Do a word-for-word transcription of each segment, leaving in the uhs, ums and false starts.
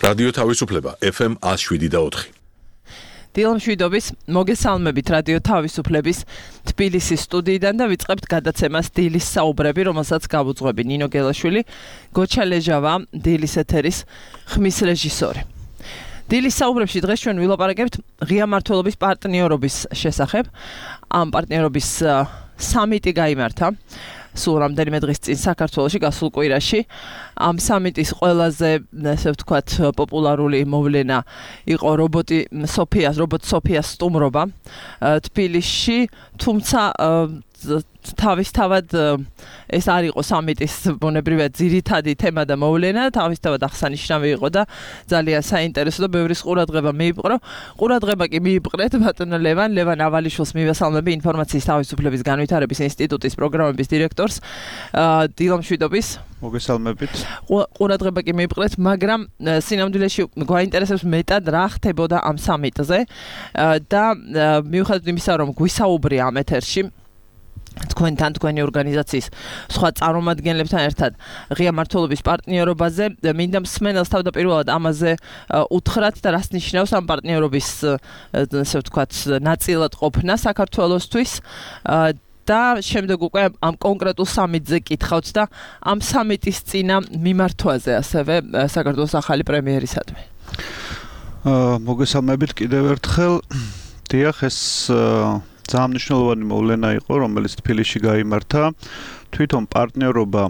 რადიო თავისუფლება ეფ ემ one oh seven და four. დილამშვიდობის მოგესალმებით რადიო თავისუფლების თბილისის სტუდიიდან და ვიწყებთ გადაცემას დილის საუბრები, რომელსაც გავუძღვები ნინო გელაშვილი, გოჩა ლეჟავა, დილის ეთერის ხმის რეჟისორი. დილის საუბრებში დღეს ჩვენ ვილაპარაკებთ ღია მმართველობის პარტნიორობის შესახებ. ამ პარტნიორობის სამიტი გაიმართა სულ რამდენიმე დღის წინ საქართველოში გასულ კვირაში. ამ სამიტის ყველაზე, ესე ვთქვათ, პოპულარული მოვლენა იყო რობოტი სოფიას, რობოტ სოფიას სტუმრობა თბილისში, თუმცა თავისთავად ეს არ იყო სამიტის ბუნებრივად ძირითადი თემა და მოვლენა, თავისთავად აღსანიშნავი იყო და ძალიან საინტერესო და ბევრის ყურადღება მიიპყრო. ყურადღება კი მიიპყრეთ ბატონ ლევან, ლევან ავალიშვილს მივესალმები, ინფორმაციის თავისუფლების განვითარების ინსტიტუტის პროგრამების დირექტორს. დილამშვიდობის. მოგესალმებით. ყურადღება კი მიიპყრეთ, მაგრამ სინამდვილეში გვაინტერესებს მეტად რა ხდებოდა ამ სამიტზე და მიუხედავად იმისა, რომ გვისაუბრია ამ ეთერში თქვენთან, თქვენი ორგანიზაციის სხვა წარმომადგენლებთან ერთად ღია მმართველობის პარტნიორობაზე, მინდა მსმენელს თავდაპირველად ამაზე უთხრათ და რას ნიშნავს ამ პარტნიორობის, ასე ვთქვათ, ნაწილად ყოფნა საქართველოსთვის და შემდეგ უკვე ამ კონკრეტულ სამიტზე კითხავთ და ამ სამიტის წინა მიმართვაზე ასევე საქართველოს ახალი პრემიერისადმი. მოგესალმებით კიდევ ერთხელ. დიახ, ეს ძალიან მნიშვნელოვანი მოვლენა იყო, რომელიც თბილისში გაიმართა. თვითონ პარტნიორობა,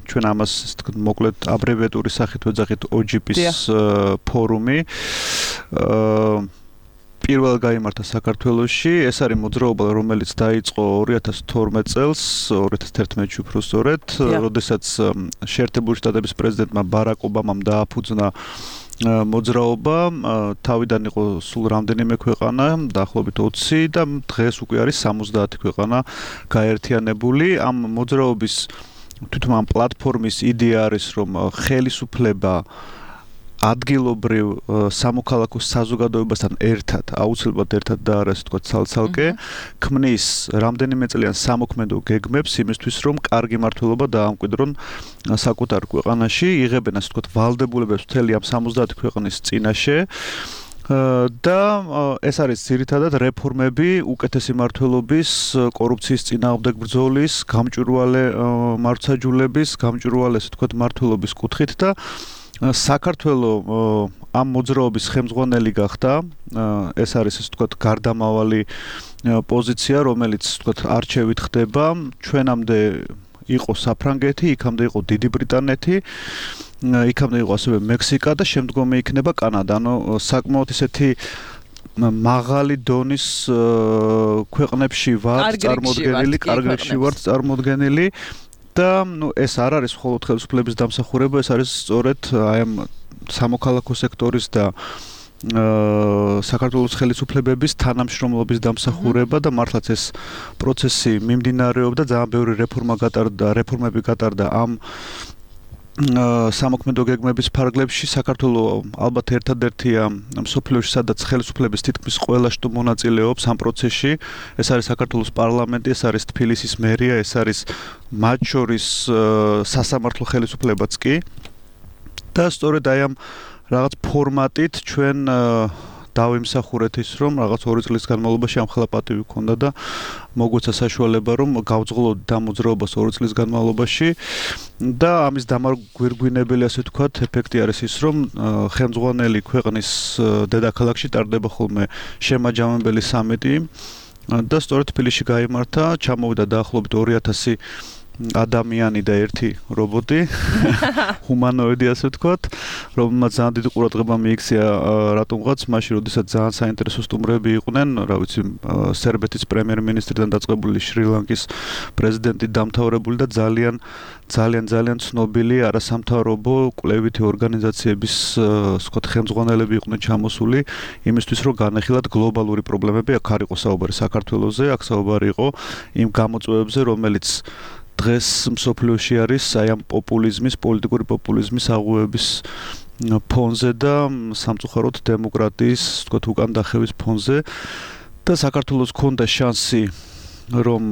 ჩვენ ამას მოკლედ აბრევიატურის სახით ვეძახით O G P-ის ფორუმი. პირველ გაიმართა საქართველოში. ეს არის მოძრაობა, რომელიც დაიწყო ორი ათას თორმეტ წელს, ორი ათას თერთმეტში უფრო სწორედ, როდესაც შეერთებული შტატების პრეზიდენტმა ბარაკ ობამამ დააფუძნა მოძრაობა, თავიდან იყო სულ რამდენიმე ქვეყანა, დაახლოებით ოცი და დღეს უკვე არის სამოცდაათი ქვეყანა გაერთიანებული. ამ მოძრაობის თვითონ ამ პლატფორმის იდეა არის, რომ ხელისუფლება ადგილობრივ სამოქალაქო საზოგადოებასთან ერთად, აუცილებლად ერთად და არა ასე ვთქვათ ცალ-ცალკე, ქმნის რამდენიმე წლიან სამოქმედო გეგმებს იმისთვის, რომ კარგი მმართველობა დაამკვიდრონ საკუთარ ქვეყანაში, იღებენ ასე ვთქვათ ვალდებულებებს მთელი ამ სამოცდაათი ქვეყნის წინაშე. და ეს არის ძირითადად რეფორმები, უკეთესი მმართველობის, კორუფციის წინააღმდეგ ბრძოლის, გამჭვირვალე მართლმსაჯულების, გამჭვირვალე ასე ვთქვათ მმართველობის კუთხით და საქართველო ამ მოძრაობის ხელმძღვანელი გახდა. ეს არის ასე ვთქვათ გარდამავალი პოზიცია, რომელიც ვთქვათ არჩევით ხდება. ჩვენამდე იყო საფრანგეთი, იქამდე იყო დიდი ბრიტანეთი, იქამდე იყო ასევე მექსიკა და შემდგომი იქნება კანადა. ანუ საკმაოდ ისეთი მაღალი დონის ქვეყნებში ვართ წარმოდგენილი, კარგ რიგში ვართ წარმოდგენილი. და ნუ ეს არ არის მხოლოდ ხელისუფლების დამსახურება, ეს არის სწორედ აი ამ სამოქალაქო სექტორის და საქართველოს ხელისუფლებების თანამშრომლობის დამსახურება და მართლაც ეს პროცესი მიმდინარეობდა, ძალიან ბევრი რეფორმა გატარდა, რეფორმები გატარდა ამ სამოქმედო გეგმების ფარგლებში. საქართველოს ალბათ ერთადერთია მსოფლიოში, სადაც ხელისუფლების თითქმის ყველა შტო მონაწილეობს ამ პროცესში. ეს არის საქართველოს პარლამენტი, ეს არის თბილისის მერია, ეს არის მათ შორის სასამართლო ხელისუფლებაც კი. და სწორედ აი ამ რაღაც ფორმატით ჩვენ დავიმსახურეთ ის, რომ რაღაც ორი წლის განმავლობაში ამ ხელა პატივი ქონდა და მოგვეცა საშუალება, რომ გავძღოლოთ ამ მოძრაობას ორი წლის განმავლობაში და ამის დამარგვირგვინებელი, ასე ვთქვათ, ეფექტი არის ის, რომ ხელმძღვანელი ქვეყნის დედაქალაქში ტარდება ხოლმე შემაჯამებელი სამიტი და სწორედ თბილისში გაიმართა, ჩამოვიდა დაახლოებით ორი ათასი ადამიანი და ერთი რობოტი, ჰუმანოიდი ასე ვთქვათ, რომელმაც ძალიან დიდი ყურადღება მიიქცია რატომღაც მაშინ, როდესაც ძალიან საინტერესო სტუმრები იყვნენ, რა ვიცი, სერბეთის პრემიერ-მინისტრიდან დაწყებული, შრი-ლანკის პრეზიდენტი დამთავრებული და ძალიან ძალიან ძალიან ცნობილი არასამთავრობო კვლევითი ორგანიზაციების ვთქვათ ხელმძღვანელები იყვნენ ჩამოსული იმისთვის, რომ განეხილათ გლობალური პრობლემები. აქ არ იყო საუბარი საქართველოზე, აქ საუბარი იყო იმ გამოწვევებზე, რომელიც დღეს მსოფლიოში არის აი ამ პოპულიზმის, პოლიტიკური პოპულიზმის აღუების ფონზე და სამწუხაროდ დემოკრატიის, ვთქვათ, უკან დახევის ფონზე და საქართველოს ჰქონდა შანსი, რომ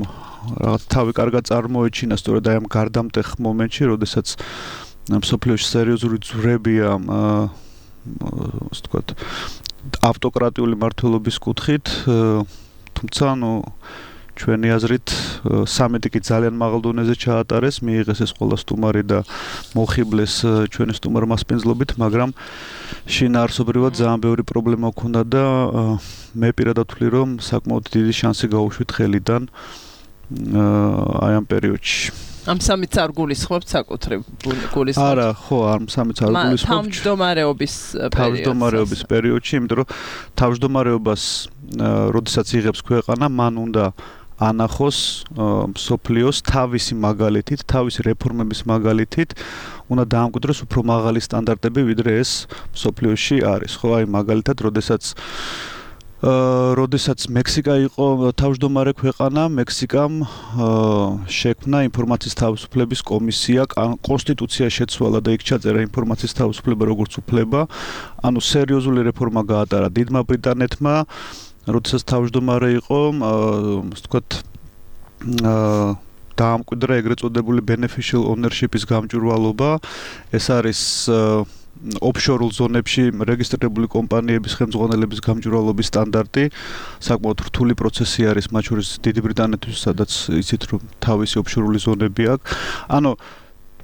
რაღაც თავი კარგად წარმოეჩინა სწორედ აი ამ გარდამტეხ მომენტში, როდესაც მსოფლიოში სერიოზული ძვრებია ასე ვთქვათ, ავტოკრატიული მმართველობის კუთხით, თუმცა ანუ ჩვენი აზრით სამეტი კი ძალიან მაღალ დონეზე ჩაატარეს, მიიღეს ეს ყველა სტუმარი და მოხიბლეს ჩვენი სტუმარ მასპინძლობით, მაგრამ შინაარსობრივად ძალიან ბევრი პრობლემა ჰქონდა და მე პირადად ვთვლი, რომ საკმაოდ დიდი შანსი გაუშვით ხელიდან აი ამ პერიოდში. ამ სამიც არ გულისხმობთ საკუთრივ გულისხმობთ. არა, ხო, ამ სამიც არ გულისხმობთ. თავმჯდომარეობის პერიოდში. თავმჯდომარეობის პერიოდში, იმიტომ რომ თავმჯდომარეობას, როდესაც იღებს ქვეყანა, მან უნდა ანახოს მსოფლიოს თავისი მაგალითით, თავისი რეფორმების მაგალითით, უნდა დაამკვიდროს უფრო მაღალი სტანდარტები, ვიდრე ეს მსოფლიოში არის. ხო, აი მაგალითად, როდესაც როდესაც მექსიკა იყო თავმჯდომარე ქვეყანა, მექსიკამ შექმნა ინფორმაციის თავისუფლების კომისია, კონსტიტუცია შეცვალა და იქ ჩაწერა ინფორმაციის თავისუფლება როგორც უფლება. ანუ სერიოზული რეფორმა გაატარა დიდმა ბრიტანეთმა, როდესაც თავმჯდომარე იყო, ასე ვთქვათ, დაამკვიდრა ეგრეთ წოდებული beneficial ownership-ის გამჭვირვალობა. ეს არის ოფშორულ ზონებში რეგისტრირებული კომპანიების ხელმძღვანელების გამჭვირვალობის სტანდარტი, საკმაოდ რთული პროცესი არის, მათ შორის დიდი ბრიტანეთის, სადაც იცით რომ თავისი ოფშორული ზონები აქვს. ანუ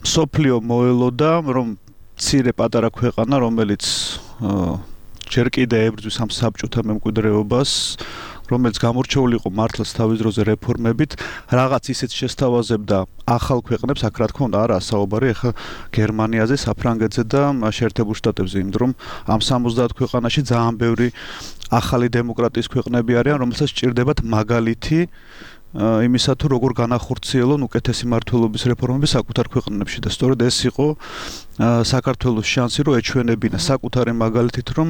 მსოფლიო მოელოდა, რომ მცირე პატარა ქვეყანა, რომელიც ჯერ კიდევ ებრძვის ამ საბჭოთა მემკვიდრეობას, რომელიც გამორჩეული იყო მართლაც თავის დროზე რეფორმებით, რაღაც ისეთ შესთავაზებდა ახალ ქვეყნებს, აქ რა თქმა უნდა არა საუბარი ახლა გერმანიაზე, საფრანგეთზე და შეერთებულ შტატებზე, იმიტომ რომ ამ სამოცდაათ ქვეყანაში ძალიან ბევრი ახალი დემოკრატიის ქვეყნები არიან, რომელსაც სჭირდებათ მაგალითი იმისა თუ როგორ განახორციელონ უკეთესი მმართველობის რეფორმები საკუთარ ქვეყნებში და სწორედ ეს იყო საქართველოს შანსი, რომ ეჩვენებინა საკუთარი მაგალითით, რომ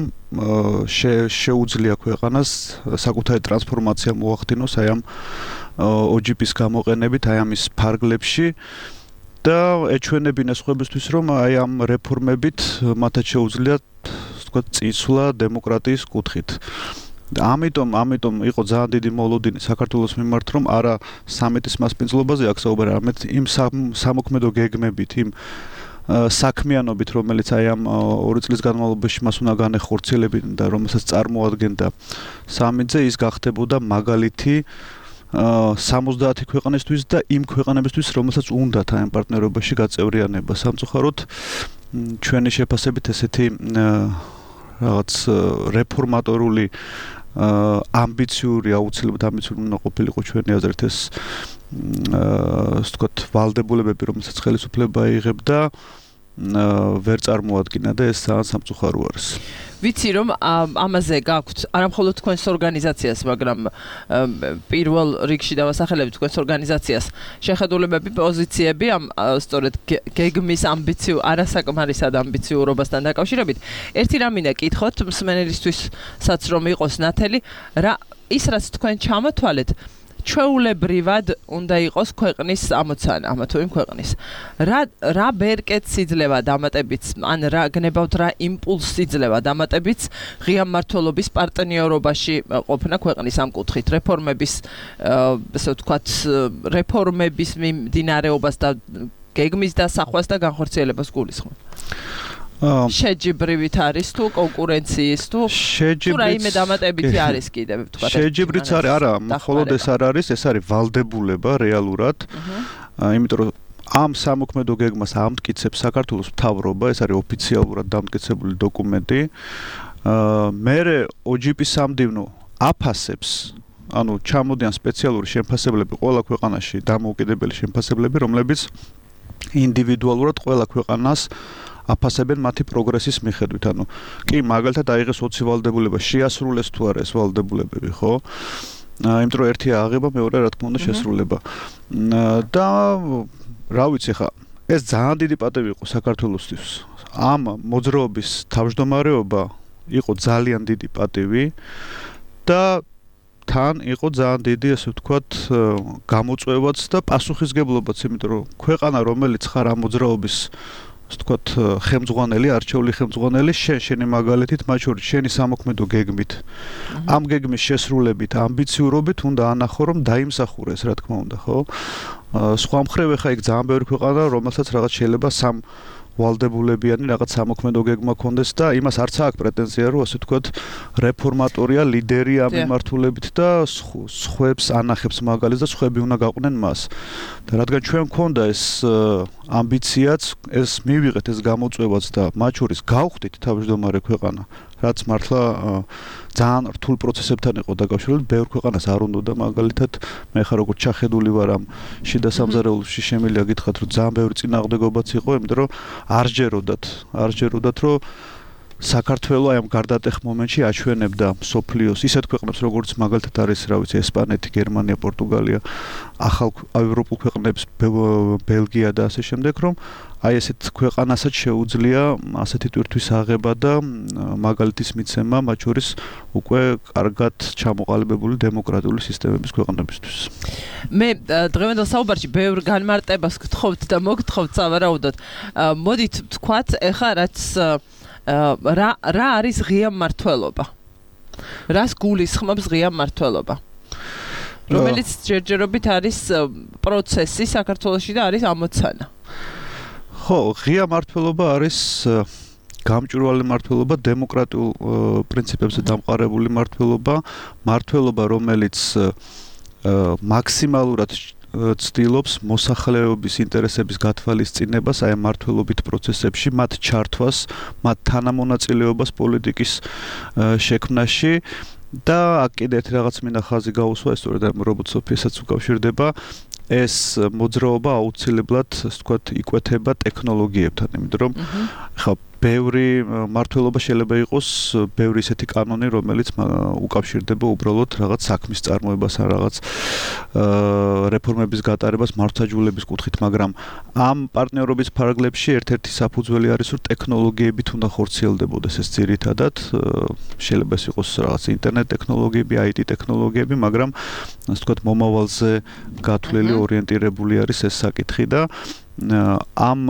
შეუძლია ქვეყანას საკუთარი ტრანსფორმაცია მოახდინოს აი ამ O G P-ის გამოყენებით, აი ამის ფარგლებში და ეჩვენებინა სხვებისთვის, რომ აი ამ რეფორმებით მათაც შეუძლიათ, ვთქვათ, წინსვლა დემოკრატიის კუთხით. ამიტომ, ამიტომ იყო ძალიან დიდი მოლოდინი საქართველოს მიმართ, რომ არა სამეთის მასპინძლობაზე აქ საუბარი, არამედ იმ სამოქმედო გეგმებით, იმ საქმიანობით, რომელიც აი ამ ორი წლის განმავლობაში მას უნდა განეხორციელებინა და რომელსაც წარმოადგენდა სამიტზე, ის გახდებოდა მაგალითი სამოცდაათი ქვეყანისთვის და იმ ქვეყანებისთვის, რომელსაც უნდათ აი ამ პარტნიორობაში გაწევრიანება. სამწუხაროდ ჩვენი შეფასებით ესეთი რაღაც რეფორმატორული ამბიციური, აუცილებლად ამბიციური უნდა ყოფილიყო ჩვენი აზრით ეს ასე ვთქვათ, ვალდებულებები, რომელსაც ხელისუფლება იღებდა, ვერ წარმოადგინა და ეს ძალიან სამწუხარო არის. ვიცი რომ ამაზე გაქვთ არა მხოლოდ თქვენს ორგანიზაციას, მაგრამ პირველ რიგში დავასახელებ თქვენს ორგანიზაციას შეხედულებები, პოზიციები ამ სწორედ გეგმის ამბიციურ, არასაკმარისად ამბიციურობასთან დაკავშირებით. ერთი რამ მინდა კითხოთ მსმენელისთვისაც რომ იყოს ნათელი, რა ის რაც თქვენ ჩამოთვალეთ ჩვეულებრივად უნდა იყოს ქვეყნის ამოცანა, ამა თუ იმ ქვეყნის. რა რა ბერკეტს იძლევა დამატებიც, ან რა გნებავთ რა იმპულსს იძლევა დამატებიც ღია მმართველობის პარტნიორობაში ყოფნა ქვეყნის ამ კუთხით, რეფორმების, ასე ვთქვათ, რეფორმების მიმდინარეობას და გეგმის დასახვას და განხორციელებას გულისხმობ. შეჯიბრივით არის თუ კონკურენციის თუ თუ რაიმე დამატებითი არის კიდევ ვთქვათ. შეჯიბრიც არის, არა, მხოლოდ ეს არ არის, ეს არის ვალდებულება რეალურად. იმიტომ რომ ამ სამოქმედო გეგმას ამტკიცებს საქართველოს მთავრობა, ეს არის ოფიციალურად დამტკიცებული დოკუმენტი. მერე O G P სამდივნო აფასებს, ანუ ჩამოდიან სპეციალური შემფასებლები ყველა ქვეყანაში, დამოუკიდებელი შემფასებლები, რომლებიც ინდივიდუალურად ყველა ქვეყანას აფასებენ მათი პროგრესის მიხედვით. ანუ კი მაგალითად აიღეს ოცი ვალდებულება, შეასრულეს თუ არა ეს ვალდებულებები, ხო? იმიტომ რომ ერთი აღება, მეორე რა თქმა უნდა შესრულება. და რა ვიცი ხა, ეს ძალიან დიდი პატივი იყო საქართველოსთვის. ამ მოძრაობის თავმჯდომარეობა იყო ძალიან დიდი პატივი და თან იყო ძალიან დიდი, ასე ვთქვათ, გამოწვევაც და პასუხისგებლობაც, იმიტომ რომ ქვეყანა, რომელიც ხარ ამ მოძრაობის ასე ვთქვათ, ხელმძღვანელი, არჩეული ხელმძღვანელი, შენ შენი მაგალითით, მათ შორის შენი სამოქმედო გეგმით, ამ გეგმის შესრულებით, ამბიციურობით უნდა ანახო, რომ დაიმსახურეს, რა თქმა უნდა, ხო? სხვა მხრივ ხა იქ ძალიან ბევრი ქვეყანა, რომელსაც რაღაც შეიძლება სამ ვალდებულებიანი რაღაც სამოქმედო გეგმა ქონდეს და იმას არც აქვს პრეტენზია, რომ ასე ვთქვათ, რეფორმატორია, ლიდერი ამ მიმართულებით და სხვებს ანახებს მაგალითს და სხვები უნდა გაყვნენ მას. და რადგან ჩვენ მქონდა ეს ამბიციაც, ეს მივიღეთ ეს გამოწვევაც და მათ შორის გავხდით თავმჯდომარე ქვეყანა, რაც მართლა ძალიან რთულ პროცესებთან იყო დაკავშირებული, ბევრ ქვეყანას არ უნდა და მაგალითად მე ხარ როგორც ჩახედული ვარ ამ შიდა სამზარეულოში შემიძლია გითხრათ, რომ ძალიან ბევრი წინააღმდეგობაც იყო, იმიტომ რომ არ ჯეროდათ, არ ჯეროდათ, რომ საქართველო აი ამ გარდატეხ მომენტში აჩვენებდა სოფლიოს ისეთ ქვეყნებს, როგორც მაგალითად არის, რა ვიცი, ესპანეთი, გერმანია, პორტუგალია, ახალ ევროპულ ქვეყნებს, ბელგია და ასე შემდეგ, რომ აი ესეთ ქვეყანასაც შეუძლია ასეთი ტვირთვის აღება და მაგალითის მიცემა, მათ შორის უკვე კარგად ჩამოყალიბებული დემოკრატიული სისტემების ქვეყნებისთვის. მე დღევანდელ საუბარში ბევრ განმარტებას გთხოვთ და მოგთხოვთ სავარაუდოდ. მოდით ვთქვათ, ეხლა რაც რა რა არის ღია მმართველობა? რას გულისხმობს ღია მმართველობა? რომელიც ჯერჯერობით არის პროცესი საქართველოში და არის ამოცანა. ხო, ღია მმართველობა არის გამჭვირვალე მმართველობა, დემოკრატიულ პრინციპებზე დამყარებული მმართველობა, მმართველობა, რომელიც მაქსიმალურად ცდილობს მოსახლეობის ინტერესების გათვალისწინებას აი ამ მმართველობით პროცესებში, მათ ჩართვას, მათ თანამონაწილეობას პოლიტიკის შექმნაში და აქ კიდე ერთი რაღაც მინდა ხაზი გაუსვა, ეს სწორედ ამ რობოტ სოფიასაც უკავშირდება. ეს მოძრაობა აუცილებლად, ასე ვთქვათ, იკვეთება ტექნოლოგიებთან, იმიტომ რომ ხა ბევრი მმართველობა შეიძლება იყოს, ბევრი ისეთი კანონი, რომელიც უკავშირდება უბრალოდ რაღაც საქმის წარმოებას ან რაღაც რეფორმების გატარებას მართლმსაჯულების კუთხით, მაგრამ ამ პარტნიორობის ფარგლებში ერთ-ერთი საფუძველი არის, რომ ტექნოლოგიებით უნდა ხორციელდებოდეს ეს ძირითადად, შეიძლება ეს იყოს რაღაც ინტერნეტ ტექნოლოგიები, აი ტი ტექნოლოგიები, მაგრამ ასე ვთქვათ, მომავალზე გათვლილი ორიენტირებული არის ეს საკითხი და ამ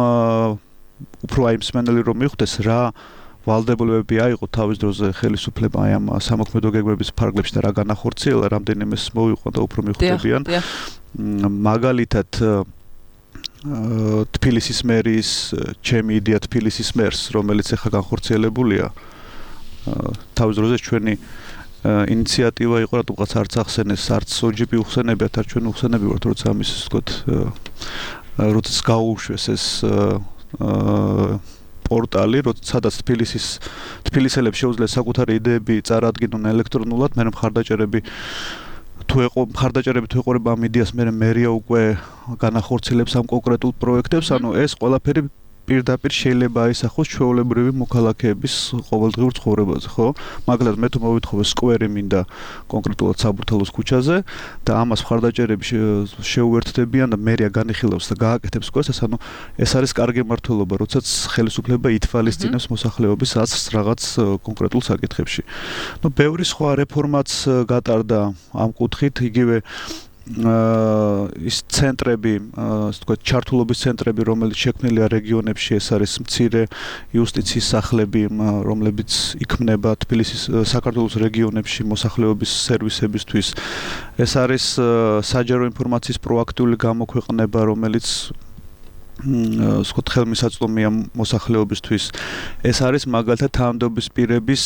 უფრო აი მსმენელი რომ მიხვდეს რა ვალდებულებები აიღო თავის დროზე ხელისუფლება აი ამ სამოქმედო გეგმების ფარგლებში და რა განახორციელა, რამდენიმეს მოვიყვან და უფრო მიხვდებიან. მაგალითად თბილისის მერის, ჩემი იდეა თბილისის მერს, რომელიც ახლა განხორციელებულია, თავის დროზე ჩვენი ინიციატივა იყო, რატომღაც არც ახსენეს, არც ოჯიპი უხსენებიათ, არც ჩვენ უხსენები ვართ, როცა ამის ვთქვათ, როცა გაუშვეს ეს პორტალი, სადაც თბილისის თბილისელებს შეუძლიათ საკუთარი იდეები წარადგინონ ელექტრონულად, მე მხარდაჭერები თუ ეყო მხარდაჭერები თუ ეყურება ამ იდეას, მე მერია უკვე განახორციელებს ამ კონკრეტულ პროექტებს, ანუ ეს ყველაფერი პირდაპირ შეიძლება აისახოს ჩვეულებრივი მოქალაქეების ყოველდღიურ ცხოვრებაზე, ხო? მაგალითად, მე თუ მოვითხოვე სკვერი მინდა კონკრეტულად საბურთალოს ქუჩაზე და ამას მხარდაჭერები შეუერთდებიან და მერია განიხილავს და გააკეთებს სკვერს, ანუ ეს არის კარგი მმართველობა, როდესაც ხელისუფლება ითვალისწინებს მოსახლეობის აზრს რაღაც კონკრეტულ საკითხებში. ნუ ბევრი სხვა რეფორმაც გატარდა ამ კუთხით, იგივე ის ცენტრები, ასე ვთქვათ, ჩართულობის ცენტრები, რომელიც შექმნილია რეგიონებში, ეს არის მცირე იუსტიციის სახლები, რომლებიც იქმნება თბილისის საქართველოს რეგიონებში მოსახლეობის სერვისებისთვის. ეს არის საჯარო ინფორმაციის პროაქტიული გამოქვეყნება, რომელიც ასე ვთქვათ, ხელმისაწვდომია მოსახლეობისთვის. ეს არის მაგალითად თანამდებობის პირების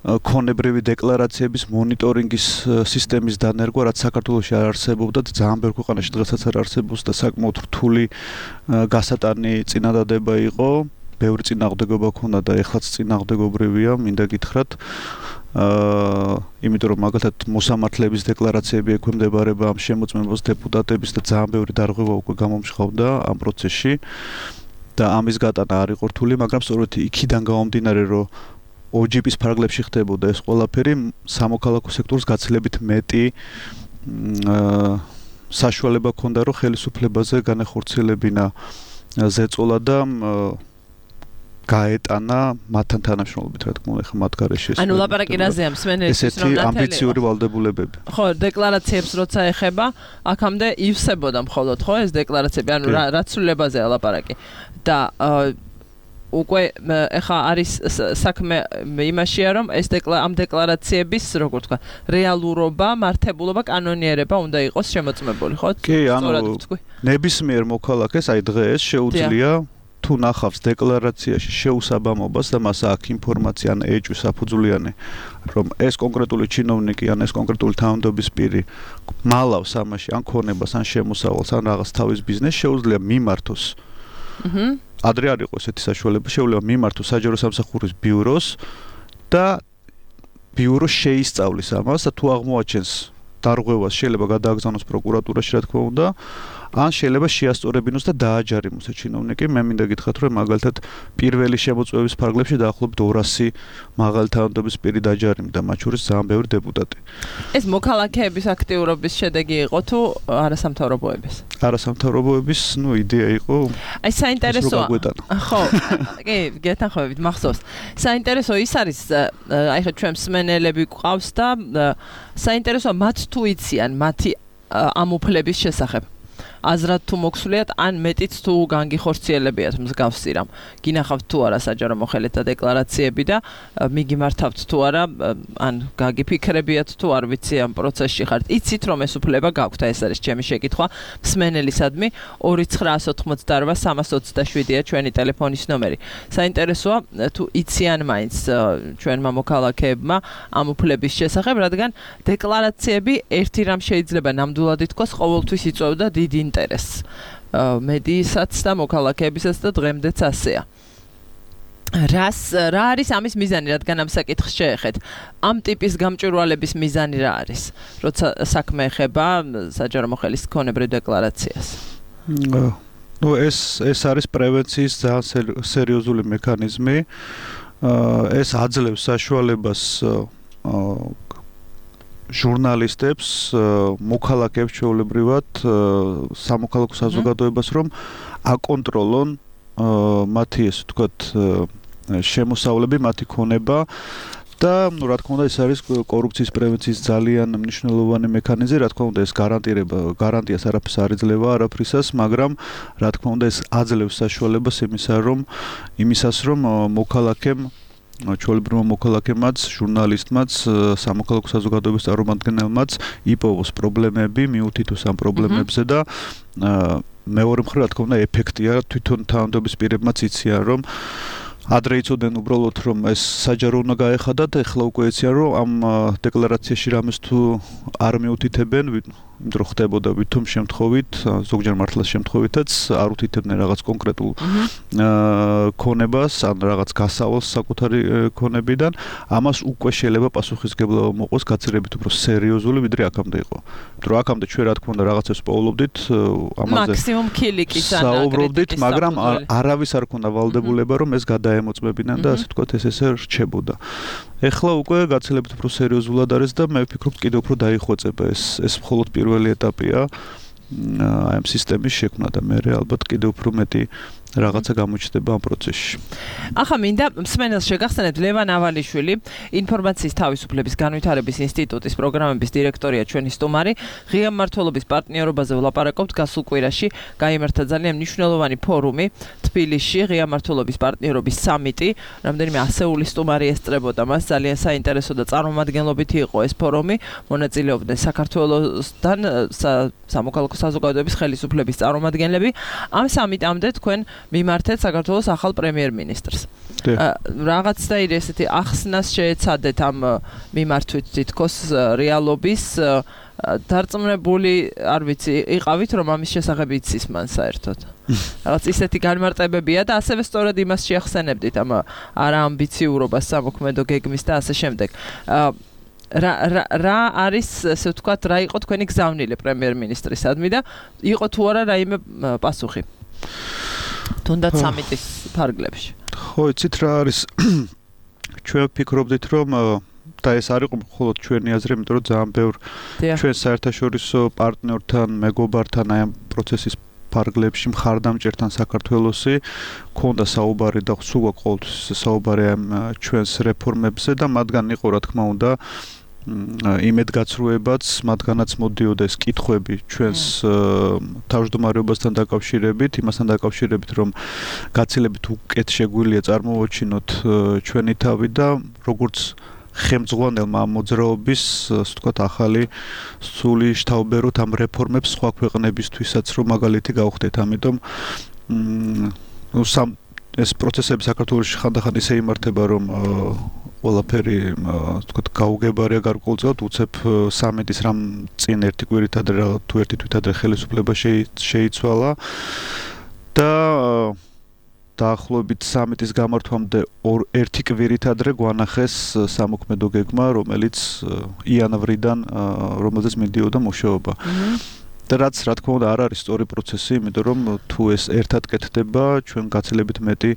ქონებრივი დეკლარაციების მონიტორინგის სისტემის დანერგვა, რაც საქართველოში არ არსებობდა და ძალიან ბევრ ქვეყანაში დღესაც არ არსებობს და საკმაოდ რთული გასატანი წინადადება იყო. ბევრი წინააღმდეგობა ქონდა და ეხლაც წინააღმდეგობრივია, მინდა გითხრათ. აა, იმიტომ რომ მაგალითად მოსამართლეების დეკლარაციები ექვემდებარება ამ შემოწმებას დეპუტატების და ძალიან ბევრი დარღვევა უკვე გამომჟღავდა ამ პროცესში და ამის გატანა არ იყო რთული, მაგრამ სწორედ იქიდან გამომდინარე, რომ ოჯიპის ფარგლებში ხდებოდა ეს ყველაფერი, სამოქალაქო სექტორს გაცილებით მეტი საშუალება ჰქონდა, რომ ხელისუფლებაზე განახორციელებინა ზეწოლა და გაეტანა მათთან თანამშრომლობით, რა თქმა უნდა, ხა მათ გარეშე ეს. ანუ ლაპარაკი რაზეა მსმენელისთვის, რომ ესეთი ამბიციური ვალდებულებები. ხო, დეკლარაციებს როცა ეხება, აქამდე ივსებოდა მხოლოდ, ხო, ეს დეკლარაციები, ანუ რა ცვლილებაზეა ლაპარაკი. და უკვე ეხა არის საქმე იმაშია, რომ ეს ამ დეკლარაციების, როგორ თქვა, რეალურობა, მართებულობა, კანონიერება უნდა იყოს შემოწმებული, ხო? კი, ანუ ნებისმიერ მოქალაქეს აი დღეს შეუძლია თუ ნახავს დეკლარაციაში შეუსაბამობას და მას აქვს ინფორმაცია ან ეჭვის საფუძვლიანი, რომ ეს კონკრეტული ჩინოვნიკი ან ეს კონკრეტული თანამდებობის პირი მალავს ამაში ან ქონებას ან შემოსავალს ან რაღაც თავის ბიზნესს, შეუძლია მიმართოს. აჰა. ადრე არ იყო ესეთი საშუალება, შეუძლია მიმართოს საჯარო სამსახურის ბიუროს და ბიურო შეისწავლის ამას და თუ აღმოაჩენს დარღვევას შეიძლება გადააგზავნოს პროკურატურაში, რა თქმა უნდა, ან შეიძლება შეასწორებინოს და დააჯარიმოს ეს ჩინოვნიკი. მე მინდა გითხრათ, რომ მაგალითად პირველი შემოწმების ფარგლებში დაახლოებით ორასი მაღალი თანამდებობის პირი დაჯარიმდა, მათ შორის ძალიან ბევრი დეპუტატი. ეს მოქალაქეების აქტიურობის შედეგი იყო თუ არასამთავრობოების? არასამთავრობოების, ну, იდეა იყო. აი საინტერესოა. ხო, კი, გეთანხმებით, მახსოვს. საინტერესო ის არის, აი ხო ჩვენ მსმენელები გვყავს და საინტერესოა მათ თუ იციან მათი ამ უფლების შესახებ. აზრად თუ მოქსულიათ, ან მეტიც თუ განგიხორციელებიათ მსგავსი რამ. გინახავთ თუ არა საჯარო მოხელეთა დეკლარაციები და მიგიმართავთ თუ არა, ან გაგიფიქრებიათ თუ არ ვიცი ამ პროცესში ხართ. იცით რომ ეს უფლება გაქვთ, ეს არის ჩემი შეკითხვა მსმენელისადმი. ორი ცხრაას ოცდაოთხმოცდაორბა სამას ოცდაშვიდია ჩვენი ტელეფონის ნომერი. საინტერესოა თუ იციან მაინც ჩვენმა მოქალაქეებმა ამ უფლების შესახებ, რადგან დეკლარაციები ერთი რამ შეიძლება ნამდვილად ითქვას, ყოველთვის იწვევდა დიდ ინტერესს მედიისაც და მოქალაქეებისაც და დღემდეც ასეა. რას რა არის ამის მიზანი, რადგან ამ საკითხს შეეხეთ? ამ ტიპის გამჭვირვალების მიზანი რა არის, როცა საქმე ეხება საჯარო მოხელის ქონებრივ დეკლარაციას? ნუ ეს ეს არის პრევენციის ძალიან სერიოზული მექანიზმი. ეს აძლევს საშუალებას ჟურნალისტებს, მოქალაქეებს ჩვეულებრივად, სამოქალაქო საზოგადოებას, რომ აკონტროლონ მათი, ესე ვთქვათ, შემოსავლები, მათი ქონება და, ну, რა თქმა უნდა, ეს არის კორუფციის პრევენციის ძალიან მნიშვნელოვანი მექანიზმი, რა თქმა უნდა, ეს გარანტირება, გარანტიას არაფერს არ იძლევა არაფრისას, მაგრამ რა თქმა უნდა, ეს აძლევს საშუალებას იმისა, რომ იმისას, რომ მოქალაქემ ჩვეულებრივმა მოქალაქემაც, ჟურნალისტმაც, სამოქალაქო საზოგადოების წარმომადგენელმაც იპოვოს პრობლემები, მიუთითოს ამ პრობლემებზე და მეორე მხრივ, რა თქმა უნდა, ეფექტია თვითონ თანამდებობის პირებმაც იციან, რომ ადრე იცოდნენ უბრალოდ, რომ ეს საჯარო უნდა გაეხადათ, ეხლა უკვე იციან, რომ ამ დეკლარაციაში რამეს თუ არ მიუთითებენ, იმიტომ რომ ხდებოდა ვითომ შემთხვევით, ზოგჯერ მართლაც შემთხვევითაც არ უთითებდნენ რაღაც კონკრეტულ ქონებას, ან რაღაც გასავალს საკუთარი ქონებიდან, ამას უკვე შეიძლება პასუხისმგებლობა მოყოს გაცილებით უფრო სერიოზული, ვიდრე აქამდე იყო. იმიტომ რომ აქამდე ჩვენ რა თქმა უნდა რაღაცებს პოულობდით, ამაზე მაქსიმუმ ქილიკის ან საუბრობდით, მაგრამ არავის არ ქონდა ვალდებულება, რომ ეს გადაემოწმებინა და ასე ვთქვათ, ეს ესე რჩებოდა. ეხლა უკვე გაცილებით უფრო სერიოზულად არის და მე ვფიქრობ, კიდევ უფრო დაიხვეწება ეს ეს მხოლოდ პირველი ეტაპია აი ამ სისტემის შექმნა და მე ალბათ კიდევ უფრო მეტი რაღაცა გამოჩნდება ამ პროცესში. ახლა მინდა მსმენელს შეგახსენებთ, ლევან ავალიშვილი, ინფორმაციის თავისუფლების განვითარების ინსტიტუტის პროგრამების დირექტორია ჩვენი სტუმარი. ღია მმართველობის პარტნიორობაზე ვლაპარაკობთ. გასულ კვირაში გაიმართა ძალიან მნიშვნელოვანი ფორუმი თბილისში, ღია მმართველობის პარტნიორობის სამიტი. რამდენიმე ასეული სტუმარი ესწრებოდა მას, ძალიან საინტერესო და წარმომადგენლობითი იყო ეს ფორუმი. მონაწილეობდნენ საქართველოსთან სამოქალაქო საზოგადოების ხელისუფლების წარმომადგენლები. ამ სამიტამდე თქვენ მიმართეთ საქართველოს ახალ პრემიერ-მინისტრს. რაღაც და ისეთი ახსნას შეეცადეთ ამ მიმართვით თითქოს რეალობის დარწმუნებული, არ ვიცი, იყავით რომ ამის შესახებ იცის მან საერთოდ. რაღაც ისეთი განმარტებებია და ასევე სწორედ იმას შეახსენებდით ამ არაამბიციურობას სამოქმედო გეგმის და ასე შემდეგ. რა რა რა არის, ასე ვთქვათ, რა იყო თქვენი გზავნილი პრემიერ-მინისტრისადმი და იყო თუ არა რაიმე პასუხი? თუნდაც სამიტის ფარგლებში. ხო, იცით რა არის? ჩვენ ვფიქრობდით, რომ და ეს არ იყო მხოლოდ ჩვენი აზრი, იმიტომ რომ ძალიან ბევრ ჩვენ საერთაშორისო პარტნიორთან, მეგობართან აი ამ პროცესის ფარგლებში მხარდამჭერთან საქართველოსი ქონდა საუბარი და სულ ყოველთვის საუბარი ამ ჩვენს რეფორმებზე და მათგან იყო, რა თქმა უნდა, იმედგაცრუებაც, მათგანაც მოდიოდა ეს კითხვები ჩვენს თავმჯდომარეობასთან დაკავშირებით, იმასთან დაკავშირებით, რომ გაცილებით უკეთ შეგვიძლია წარმოვაჩინოთ ჩვენი თავი და როგორც ხელმძღვანელმა ამ მოძრაობის, ასე ვთქვათ, ახალი სული შთაუბეროთ ამ რეფორმებს სხვა ქვეყნებისთვისაც, რომ მაგალითი გავხდეთ. ამიტომ ნუ სამ ეს პროცესები საქართველოში ხანდახან ისე იმართება, რომ ყველაფერი, თქვათ, გაუგებარია გარკვეულწილად, უცებ სამეტის რამ წინ ერთი კვირით ადრე თუ ერთი თვით ადრე ხელისუფლება შეიცვალა და დაახლოებით სამეტის გამართვამდე ერთი კვირით ადრე გვანახეს სამოქმედო გეგმა, რომელიც იანვრიდან რომელზეც მიდიოდა მუშაობა. და რაც რა თქმა უნდა არ არის სწორი პროცესი, იმიტომ რომ თუ ეს ერთად კეთდება, ჩვენ გაცილებით მეტი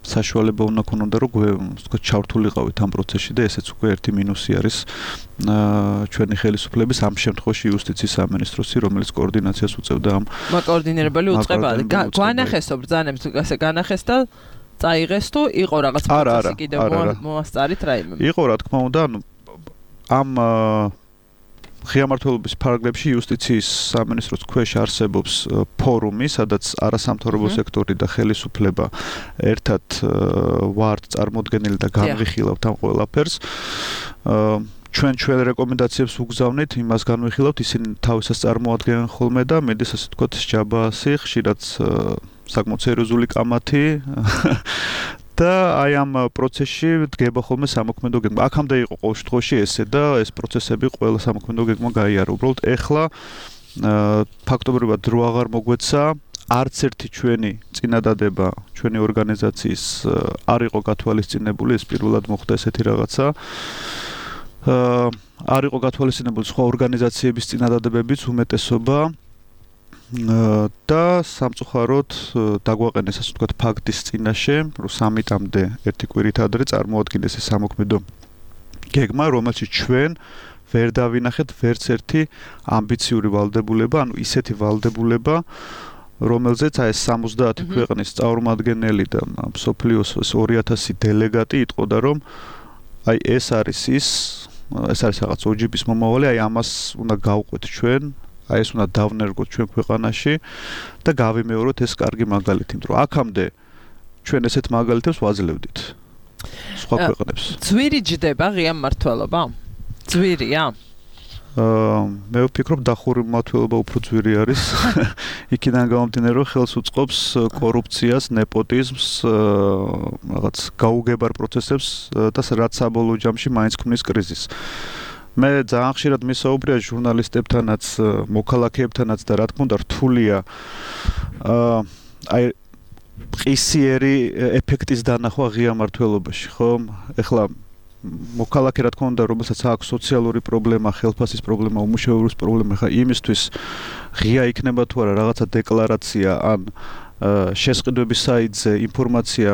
საშუალება უნდა ქონოდა, რომ თქვათ ჩავრთულიყავით ამ პროცესში და ესეც უკვე ერთი მინუსი არის ჩვენი ხელისუფლების ამ შემთხვევაში იუსტიციის სამინისტროსი, რომელიც კოორდინაციას უწევდა ამ მაკოორდინირებელი უწყება. გვანახესო ბრძანებს ასე განახეს და წაიღეს თუ იყო რაღაც პროცესი კიდევ მოასწარით რაიმე? იყო რა თქმა უნდა, ანუ ამ ღია მმართველობის ფარგლებში იუსტიციის სამინისტროს ქვეშ არსებობს ფორუმი, სადაც არასამთავრობო სექტორი და ხელისუფლება ერთად ვართ წარმოდგენილი და განვიხილავთ ამ ყველაფერს. ჩვენ ჩვენ რეკომენდაციებს უგზავნით, იმას განვიხილავთ, ისინი თავისას წარმოადგენენ ხოლმე და მედის ასე თქვათ ჯაბაასი, ხშირად საკმაოდ სერიოზული კამათი და აი ამ პროცესში დგება ხოლმე სამოქმედო გეგმა. აქამდე იყო ყოველ შემთხვევაში ესე და ეს პროცესები ყველა სამოქმედო გეგმა გაიარა. უბრალოდ ეხლა ფაქტობრივად დრო აღარ მოგვეცა, არც ერთი ჩვენი წინადადება ჩვენი ორგანიზაციის არ იყო გათვალისწინებული, ეს პირველად მოხდა ესეთი რაღაცა. არ იყო გათვალისწინებული სხვა ორგანიზაციების წინადადებებიც უმეტესობა. და სამწუხაროდ დაგვაყენეს ასე ვთქვათ ფაქტის წინაშე, რომ სამიტამდე ერთი კვირით ადრე წარმოადგინეს ეს სამოქმედო გეგმა, რომელშიც ჩვენ ვერ დავინახეთ ვერც ერთი ამბიციური ვალდებულება, ანუ ისეთი ვალდებულება, რომელზეც აი ეს სამოცდაათი ქვეყნის წარმომადგენელი და მსოფლიოს ორი ათასი დელეგატი იტყოდა, რომ აი ეს არის ის, ეს არის რაღაც ოჯიბის მომავალი, აი ამას უნდა გავყვეთ ჩვენ. აი ეს უნდა დავნერგოთ ჩვენ ქვეყანაში და გავიმეოროთ ეს კარგი მაგალითი, იმიტომ რომ აქამდე ჩვენ ესეთ მაგალითებს ვაძლევდით სხვა ქვეყნებს. ძვირი ჯდება ღია მმართველობა? ძვირია? აა მე ვფიქრობ დახური მმართველობა უფრო ძვირი არის. იქიდან გამომდინარე, რომ ხელს უწყობს კორუფციას, ნეპოტიზმს, რაღაც გაუგებარ პროცესებს და რაც საბოლოო ჯამში მაინც ქმნის კრიზისს. მე ძალიან ხშირად მისაუბრია ჟურნალისტებთანაც, მოქალაქეებთანაც და რა თქმა უნდა რთულია აი ყისიერი ეფექტის დანახვა ღია მმართველობაში, ხო? ეხლა მოქალაქე რა თქმა უნდა, რომელსაც აქვს სოციალური პრობლემა, ხელფასის პრობლემა, უმუშევრობის პრობლემა, ხა იმისთვის ღია იქნება თუ არა რაღაცა დეკლარაცია ან შესყიდვების საიტზე ინფორმაცია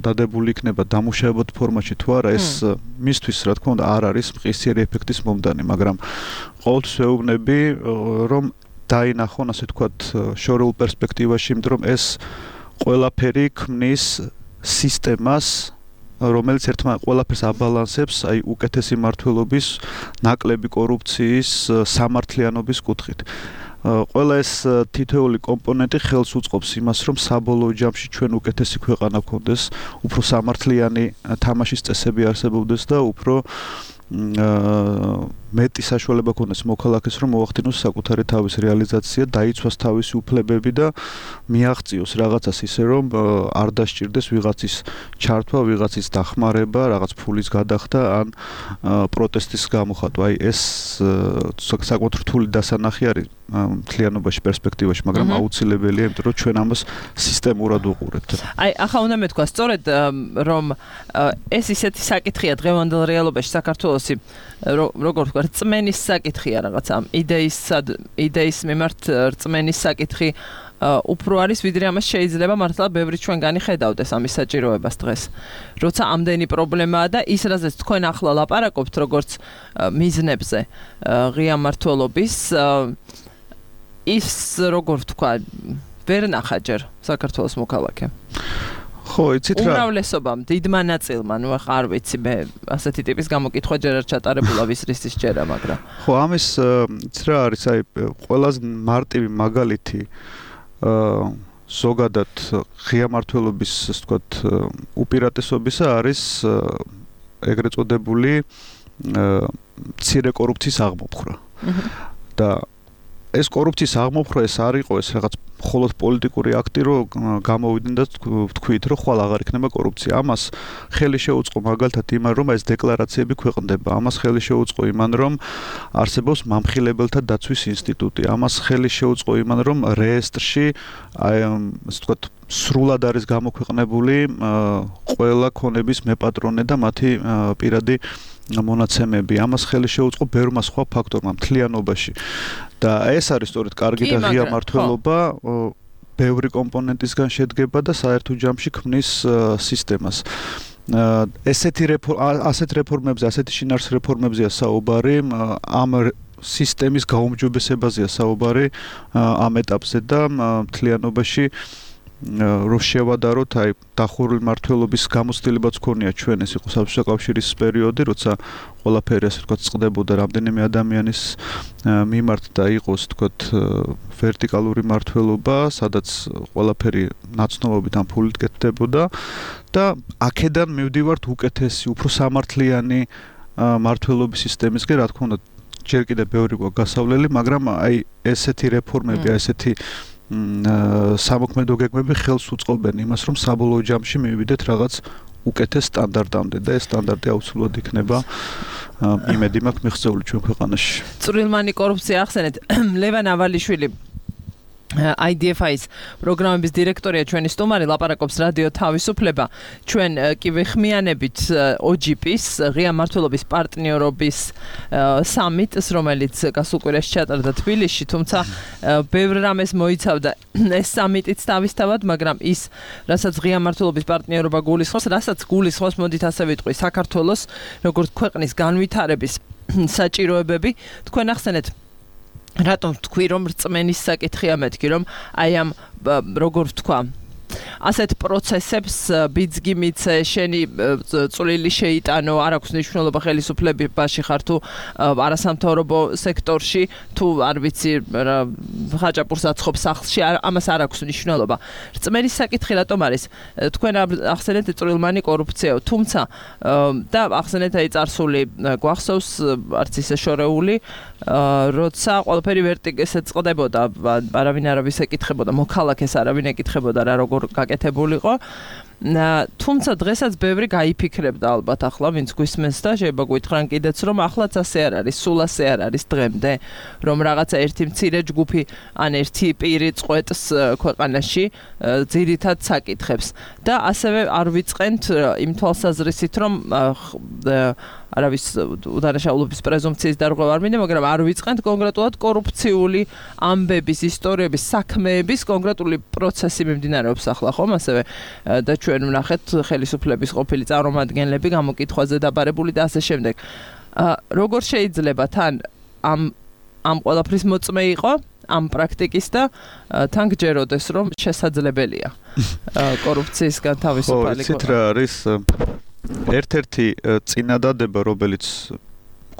დადებული იქნება დამუშავებად ფორმატში თუ არა, ეს მისთვის რა თქმა უნდა არ არის მყისიერი ეფექტის მომდანი, მაგრამ ყოველთვის ვეუბნები, რომ დაინახონ ასე ვთქვათ შორეულ პერსპექტივაში, იმიტომ რომ ეს ყველაფერი ქმნის სისტემას, რომელიც ერთმანეთს ყველაფერს აბალანსებს, აი უკეთესი მმართველობის, ნაკლები კორუფციის, სამართლიანობის კუთხით. ყველა ეს თითოეული კომპონენტი ხელს უწყობს იმას, რომ საბოლოო ჯამში ჩვენ უკეთესი ქვეყანა გქონდეს, უფრო სამართლიანი თამაშის წესები არსებობდეს და უფრო მეტი საშუალება გქონდეს მოქალაქეს, რომ მოახდინოს საკუთარი თავის რეალიზაცია, დაიცვას თავისი უფლებები და მიაღწიოს რაღაცას ისე, რომ არ დასჭირდეს ვიღაცის ჩართვა, ვიღაცის დახმარება, რაღაც ფულის გადახდა ან პროტესტის გამოხატვა. აი ეს საკმაოდ რთული დასანახი არის მთლიანობაში, პერსპექტივაში, მაგრამ აუცილებელია, იმიტომ რომ ჩვენ ამას სისტემურად ვუყურებთ. აი, ახლა უნდა მეთქვა სწორედ, რომ ეს ისეთი საკითხია დღევანდელ რეალობაში საქართველოსი, როგორ ვთქვა, რწმენის საკითხია რაღაცა, იდეის იდეის მიმართ რწმენის საკითხი უფრო არის, ვიდრე ამას შეიძლება მართლა ბევრი ჩვენგანი ხედავდეს ამის საჭიროებას დღეს. როცა ამდენი პრობლემაა და ის რაზეც თქვენ ახლა ლაპარაკობთ, როგორც მიზნებზე ღია მმართველობის, ის როგორ ვთქვა, ვერ ნახა ჯერ საქართველოს მოქალაქე. ხო, იცით რა? უმრავლესობამ, დიდმა ნაწილმა, ნუ ახლა არ ვიცი, მე ასეთი ტიპის გამოკითხვა ჯერ არ ჩატარებულა ვისრისის ჯერა, მაგრამ. ხო, ამის იცით რა არის, აი ყველაზე მარტივი მაგალითი აა ზოგადად ღია მმართველობის, ასე ვთქვათ, უპირატესობისა არის ეგრეთ წოდებული მცირე კორუფციის აღმოფხვრა. და ეს კორუფციის აღმოფხვრა ეს არ იყო ეს რაღაც მხოლოდ პოლიტიკური აქტი, რომ გამოვიდნენ და თქვით, რომ ხვალ აღარ იქნება კორუფცია. ამას ხელი შეუწყო მაგალითად იმან, რომ ეს დეკლარაციები ქვეყნდება. ამას ხელი შეუწყო იმან, რომ არსებობს მამხილებელთა დაცვის ინსტიტუტი. ამას ხელი შეუწყო იმან, რომ რეესტრში აი ასე ვთქვათ სრულად არის გამოქვეყნებული ყველა ქონების მეპატრონე და მათი პირადი მონაცემები. ამას ხელი შეუწყო ბევრმა სხვა ფაქტორმა მთლიანობაში. და ეს არის სწორედ კარგი და ღია მართლობა, ბევრი კომპონენტისგან შედგება და საერთო ჯამში ქმნის სისტემას. ესეთი ასეთ რეფორმებზე, ასეთი შინაარს რეფორმებზეა საუბარი, ამ სისტემის გაუმჯობესებაზეა საუბარი ამ ეტაპზე და მთლიანობაში რომ შევადაროთ, აი დახურული მართლობის გამოცდილებაც ქონია ჩვენ, ეს იყო საბჭოთა კავშირის პერიოდი, როცა ყველაფერი ასე ვთქვათ წყდებოდა რამდენიმე ადამიანის მიმართ და იყოს ვთქვათ ვერტიკალური მართლობა, სადაც ყველაფერი ნაცნობობით ან ფულით კეთდებოდა და აქედან მივდივართ უკეთესი, უფრო სამართლიანი მართლობის სისტემისკენ, რა თქმა უნდა, ჯერ კიდევ ბევრი გვაქვს გასავლელი, მაგრამ აი ესეთი რეფორმები, აი ესეთი სამოქმედო გეგმები ხელს უწყობენ იმას, რომ საბოლოო ჯამში მივიდეთ რაღაც უკეთეს სტანდარტამდე და ეს სტანდარტი აუცილებლად იქნება იმედი მაქვს მიღწეული ჩვენ ქვეყანაში. წვრილმანი კორუფცია ახსენეთ. ლევან ავალიშვილი I D F I-ის პროგრამების დირექტორია ჩვენი სტუმარი, ლაპარაკობს რადიო თავისუფლება. ჩვენ კი ვეხმიანებით O G P-ის ღია მართლობის პარტნიორობის სამიტს, რომელიც გასულ კვირაში ჩატარდა თბილისში, თუმცა ბევრ რამეს მოიცავდა ეს სამიტიც თავისთავად, მაგრამ ის, რასაც ღია მართლობის პარტნიორობა გულისხმობს, რასაც გულისხმობს, მოდით ასე ვიტყვი, საქართველოს როგორც ქვეყნის განვითარების საჭიროებები, თქვენ ახსენეთ რატომ თქვი რომ რწმენის საკითხია მეთქი რომ აი ამ როგორ ვთქვა ასეთ პროცესებს ბიძგი მიце შენი წვლილი შეიტანო არ აქვს მნიშვნელობა ხელისუფლებაში ხარ თუ არასამთავრობო სექტორში თუ არ ვიცი ხაჭაპურს აცხობ სახლში ამას არ აქვს მნიშვნელობა რწმენის საკითხი რატომ არის თქვენ ახსენეთ წვრილმანი კორუფციაო თუმცა და ახსენეთ აი წარსული გვახსოვს არც ისე შორეული როცა ყველაფერი ვერტიკალზე წყდებოდა არავინ არავის ეკითხებოდა მოქალაქეს არავინ ეკითხებოდა რა როგორ გაკეთებულიყო თუმცა დღესაც ბევრი გაიფიქრებდა ალბათ ახლა ვინც გვისმენს და შეიძლება გვითხრან კიდეც რომ ახლაც ასე არ არის სულ ასე არ არის დღემდე რომ რაღაცა ერთი მცირე ჯგუფი ან ერთი პირი წყვეტს ქვეყანაში ძირითად საკითხებს და ასევე არ ვიწყენთ იმ თვალსაზრისით რომ არავის უდანაშაულობის პრეზუმპციის დარღვევა არ მინდა, მაგრამ არ ვიწყენთ კონკრეტულად კორუფციული ამბების, ისტორიების, საქმეების კონკრეტული პროცესი მიმდინარეობს ახლა ხომ, ასევე და ჩვენ ვნახეთ ხელისუფლების ყოფილი წარმომადგენლები გამოკითხვაზე დაბარებული და ასე შემდეგ. როგორ შეიძლება თან ამ ამ ყველაფრის მოწმე იყო ამ პრაქტიკის და თან გჯეროდეს რომ შესაძლებელია კორუფციისგან თავისუფალი ხო, იცით რა არის ერთ-ერთი წინადადება, რომელიც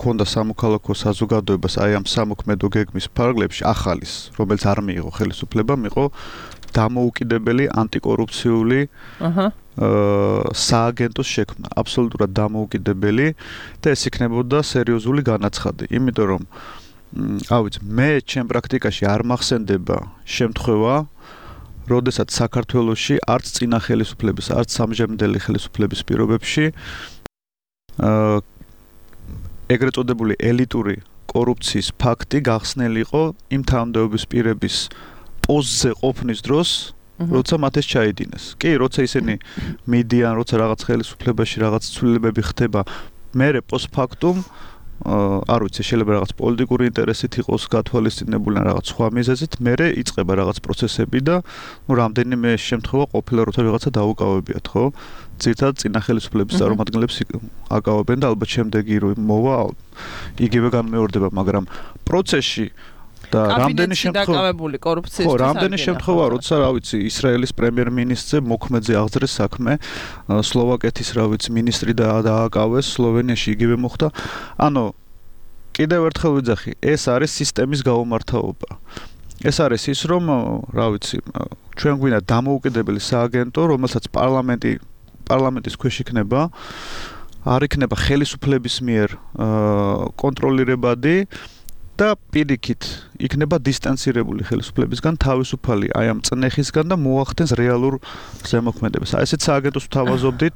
ქონდა სამოქალაქო საზოგადოებას აი ამ სამოქმედო გეგმის ფარგლებში ახალის, რომელიც არ მიიღო ხელისუფლებამ, იყო დამოუკიდებელი ანტიკორუფციული აჰა სააგენტოს შექმნა, აბსოლუტურად დამოუკიდებელი და ეს იქნებოდა სერიოზული განაცხადი, იმიტომ რომ ავიც მე ჩემ პრაქტიკაში არ მახსენდება შემთხვევა როდესაც საქართველოში არც წინა ხელისუფლების, არც სამჟემდელი ხელისუფლების პირობებში აა ეგრეთ წოდებული ელიტური კორუფციის ფაქტი გახსნილი იყო იმ თანამდებობის პირების პოზზე ყოფნის დროს, როცა მათ ეს ჩაიდინეს. კი, როცა ისინი მიდიან, როცა რაღაც ხელისუფლებაში რაღაც ცვლილებები ხდება, მერე პოსტფაქტუმ არ ვიცი, შეიძლება რაღაც პოლიტიკური ინტერესით იყოს გათვალისწინებული რაღაც სხვა მიზეზით, მერე იწყება რაღაც პროცესები და ნუ რამდენიმე შემთხვევა ყოფილა როცა რაღაცა დაუკავებიათ, ხო? ძირითადად წინა ხელისუფლების წარმომადგენლებს აკავებენ და ალბათ შემდეგი რო მოვა იგივე განმეორდება, მაგრამ პროცესში და რამდენი შემთხვევა დაკავებული კორუფციის ხო, რამდენი შემთხვევა როცა რა ვიცი ისრაელის პრემიერ-მინისტრზე მოქმედზე აღძრეს საქმე სლოვაკეთის რა ვიცი მინისტრი და დააკავეს სლოვენიაში იგივე მოხდა ანუ კიდევ ერთხელ ვიძახი ეს არის სისტემის გაუმართავობა ეს არის ის რომ რა ვიცი ჩვენ გვინდა დამოუკიდებელი სააგენტო რომელსაც პარლამენტი პარლამენტის ქვეშ იქნება არ იქნება ხელისუფლების მიერ კონტროლირებადი და პირიქით იქნება დისტანცირებული ხელისუფლებისგან თავისუფალი აი ამ წნეხისგან და მოახდენს რეალურ ზემოქმედებას. აი ესეც სააგენტოს ვთავაზობდით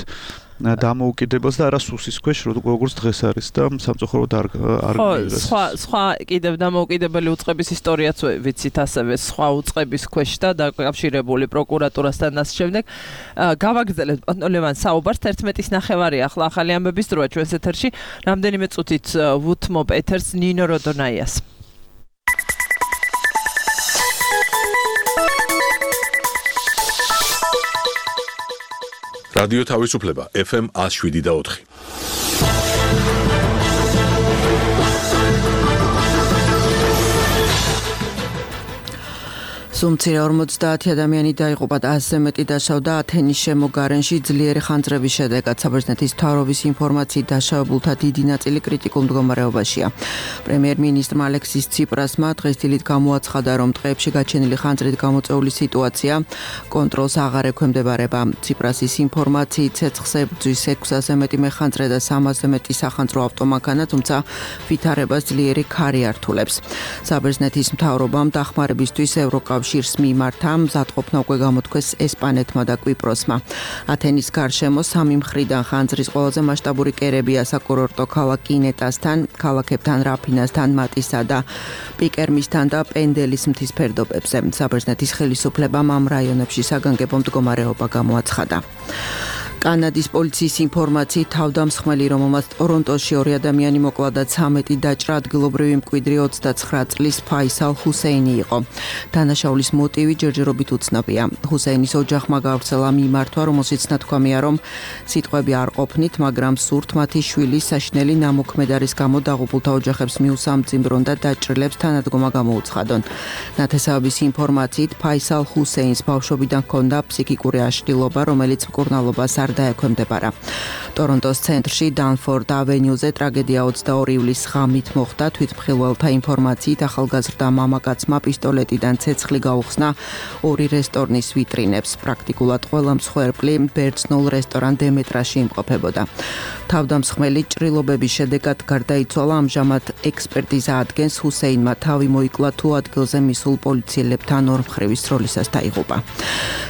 დამოუკიდებლად და არა სუსის ქვეშ როგორც დღეს არის და სამწუხაროდ არ არ გიჟღერს. სხვა სხვა კიდევ დამოუკიდებელი უწყების ისტორიაც ვიცით ასევე სხვა უწყების ქვეშ და დაკავშირებული პროკურატურასთან და ამ შემდეგ გავაგრძელებთ პანტონელოვან საუბარს თერთმეტის ნახევარი ახლა ახალი ამბების დროა ჩვენს ეთერში რამდენიმე წუთით ვუთმობ ეთერს ნინო როდონაიას. რადიო თავისუფლება ეფ ემ one oh seven და four. სუმცირე ორმოცდაათი ადამიანი დაიღუპა და ასზე მეტი დაშავდა ათენის შემოგარენში ძლიერი ხანძრების შედეგად. საბერძნეთის მთავრობის ინფორმაციით დაშავებულთა დიდი ნაწილი კრიტიკულ მდგომარეობაშია. პრემიერ-მინისტრმა ალექსის ციპრასმა დღეს დილით გამოაცხადა, რომ ტყეებში გაჩენილი ხანძრით გამოწვეული სიტუაცია კონტროლს აღარ ექვემდებარება. ციპრასის ინფორმაციით ცეცხლზე ბრძვის ექვსასზე მეტი მეხანძრე და სამასზე მეტი სახანძრო ავტომანქანა, თუმცა ვითარებას ძლიერი ქარი ართულებს. საბერძნეთის მთავრობამ დახმარებისთვის ევროკავშირს შირს მიმართა მზადყოფნა უკვე გამოთქვეს ესპანეთმა და კვიპროსმა. ათენის გარშემო სამი მხრიდან ხანძრის ყველაზე მასშტაბური კერებია საკურორტო ქალაქ კინეტასთან, ქალაქებთან რაფინასთან, მატისა და პიკერმისთან და პენდელის მთის ფერდობებზე. საბერძნეთის ხელისუფლებამ ამ რაიონებში საგანგებო მდგომარეობა გამოაცხადა. კანადის პოლიციის ინფორმაციით თავდამსხმელი, რომელმაც ტორონტოში ორი ადამიანი მოკლა და ცამეტი დაჭრა, ადგილობრივი მკვიდრი ოცდაცხრა წლის ფაისალ ჰუსეინი იყო. დანაშაულის მოტივი ჯერჯერობით უცნობია. ჰუსეინის ოჯახმა გავრცელა მიმართვა, რომელშიც ნათქვამია, რომ სიტყვები არ ყოფნით, მაგრამ სურთ მათი შვილის საშინელი ნამოქმედარის გამო დაღუპულთა ოჯახებს მიუსამძიმრონ და დაჭრილებს თანადგომა გამოუცხადონ. ნათესავების ინფორმაციით ფაისალ ჰუსეინს ბავშვობიდან ჰქონდა ფსიქიკური აშლილობა, რომელიც მკურნალობას არ დაექვემდებარა. ტორონტოს ცენტრში დანფორდ ავენიუზე ტრაგედია ოცდაორი ივლისს ღამით მოხდა. თვითმხილველთა ინფორმაციით ახალგაზრდა მამაკაცმა პისტოლეტიდან ცეცხლი გაუხსნა ორი რესტორნის ვიტრინებს. პრაქტიკულად ყველა მსხვერპლი ბერძნულ რესტორან დემეტრაში იმყოფებოდა. თავდამსხმელი ჭრილობების შედეგად გარდაიცვალა. ამჟამად ექსპერტიზა ადგენს, ჰუსეინმა თავი მოიკლა თუ ადგილზე მისულ პოლიციელებთან ორმხრივი სროლისას დაიღუპა.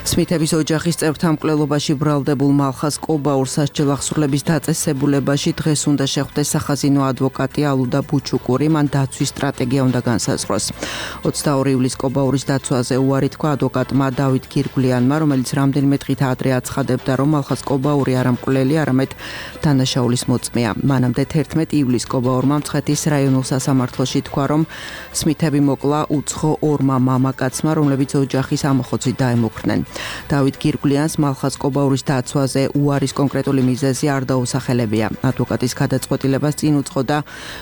სმითების ოჯახის წევრთა მკვლელობაში ბრალდებულ მალხას კობაურს სასჯელ აღსრულების დაწესებულებაში დღეს უნდა შეხვდეს სახაზინო ადვოკატი ალუდა ბუჩუკური. მან დაცვის სტრატეგია უნდა განსაზღვროს. ოცდაორი ივლისს კობაურის დაცვაზე უარი თქვა ადვოკატმა დავით გირგვლიანმა, რომელიც რამდენიმე დღით ადრე აცხადებდა, რომ მალხას კობაური არ მკვლელი, არამედ დანაშაულის მოწმეა. მანამდე თერთმეტი ივლისს კობაურმა მცხეთის რაიონულ სასამართლოში თქვა, რომ სმითები მოკლა უცხო ორმა მამაკაცმა, რომლებიც ოჯახის ამოხოცით დაემუქრნენ. დავით გირგვლიანს მალხას კობაურის დაცვაზე უარის კონკრეტული მიზეზი არ დაუსახელებია. ადვოკატის გადაწყვეტილებას წინ უძღოდა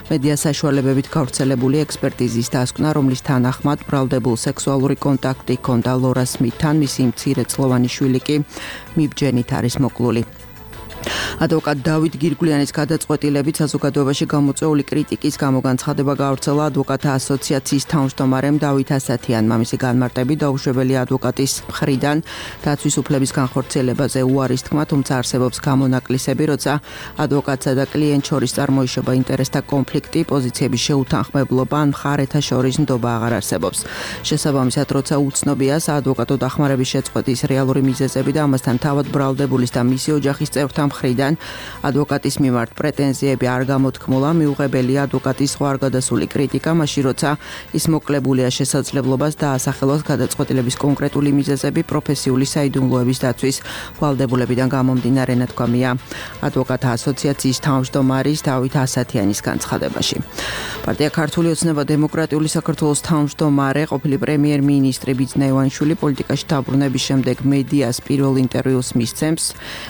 მედია საშუალებებით გავრცელებული ექსპერტიზის დასკვნა, რომლის თანახმად ბრალდებულ სექსუალური კონტაქტი ჰქონდა ლორა სმითთან, მისი მცირეწლოვანი შვილი კი მიბჯენით არის მოკლული. ადვოკატ დავით გირგვლიანის გადაწყვეტილებით საზოგადოებაში გამოწვეული კრიტიკის გამო განცხადება გავრცელა ადვოკატთა ასოციაციის თავმჯდომარემ დავით ასათიანმა. მისი განმარტებით დაუშვებელი ადვოკატის მხრიდან დაცვის უფლების განხორციელებაზე უარის თქმა, თუმცა არსებობს გამონაკლისები, როცა ადვოკატსა და კლიენტ შორის წარმოიშობა ინტერესთა კონფლიქტი, პოზიციების შეუთანხმებლობა ან მხარეთა შორის ნდობა აღარ არსებობს. შესაბამისად, როცა უცნობია საადვოკატო დახმარების შეწყვეტის რეალური მიზეზები და ამასთან თავად ბრალდებულის და მისი ოჯახის წევრთა მხრიდან ადვოკატის მიმართ პრეტენზიები არ გამოთქმულა, მიუღებელია ადვოკატის სხვა არ გადასული კრიტიკა, მაშინ როცა ის მოკლებულია შესაძლებლობას დაასახელოს გადაწყვეტილების კონკრეტული მიზეზები პროფესიული საიდუმლოების დაცვის ვალდებულებიდან გამომდინარე, ნათქვამია ადვოკატთა ასოციაციის თავმჯდომარის დავით ასათიანის განცხადებაში. პარტია ქართული ოცნება დემოკრატიული საქართველოს თავმჯდომარე, ყოფილი პრემიერ-მინისტრი ბიძინა ივანიშვილი პოლიტიკაში დაბრუნების შემდეგ მედიას პირველ ინტერვიუს მისცემს.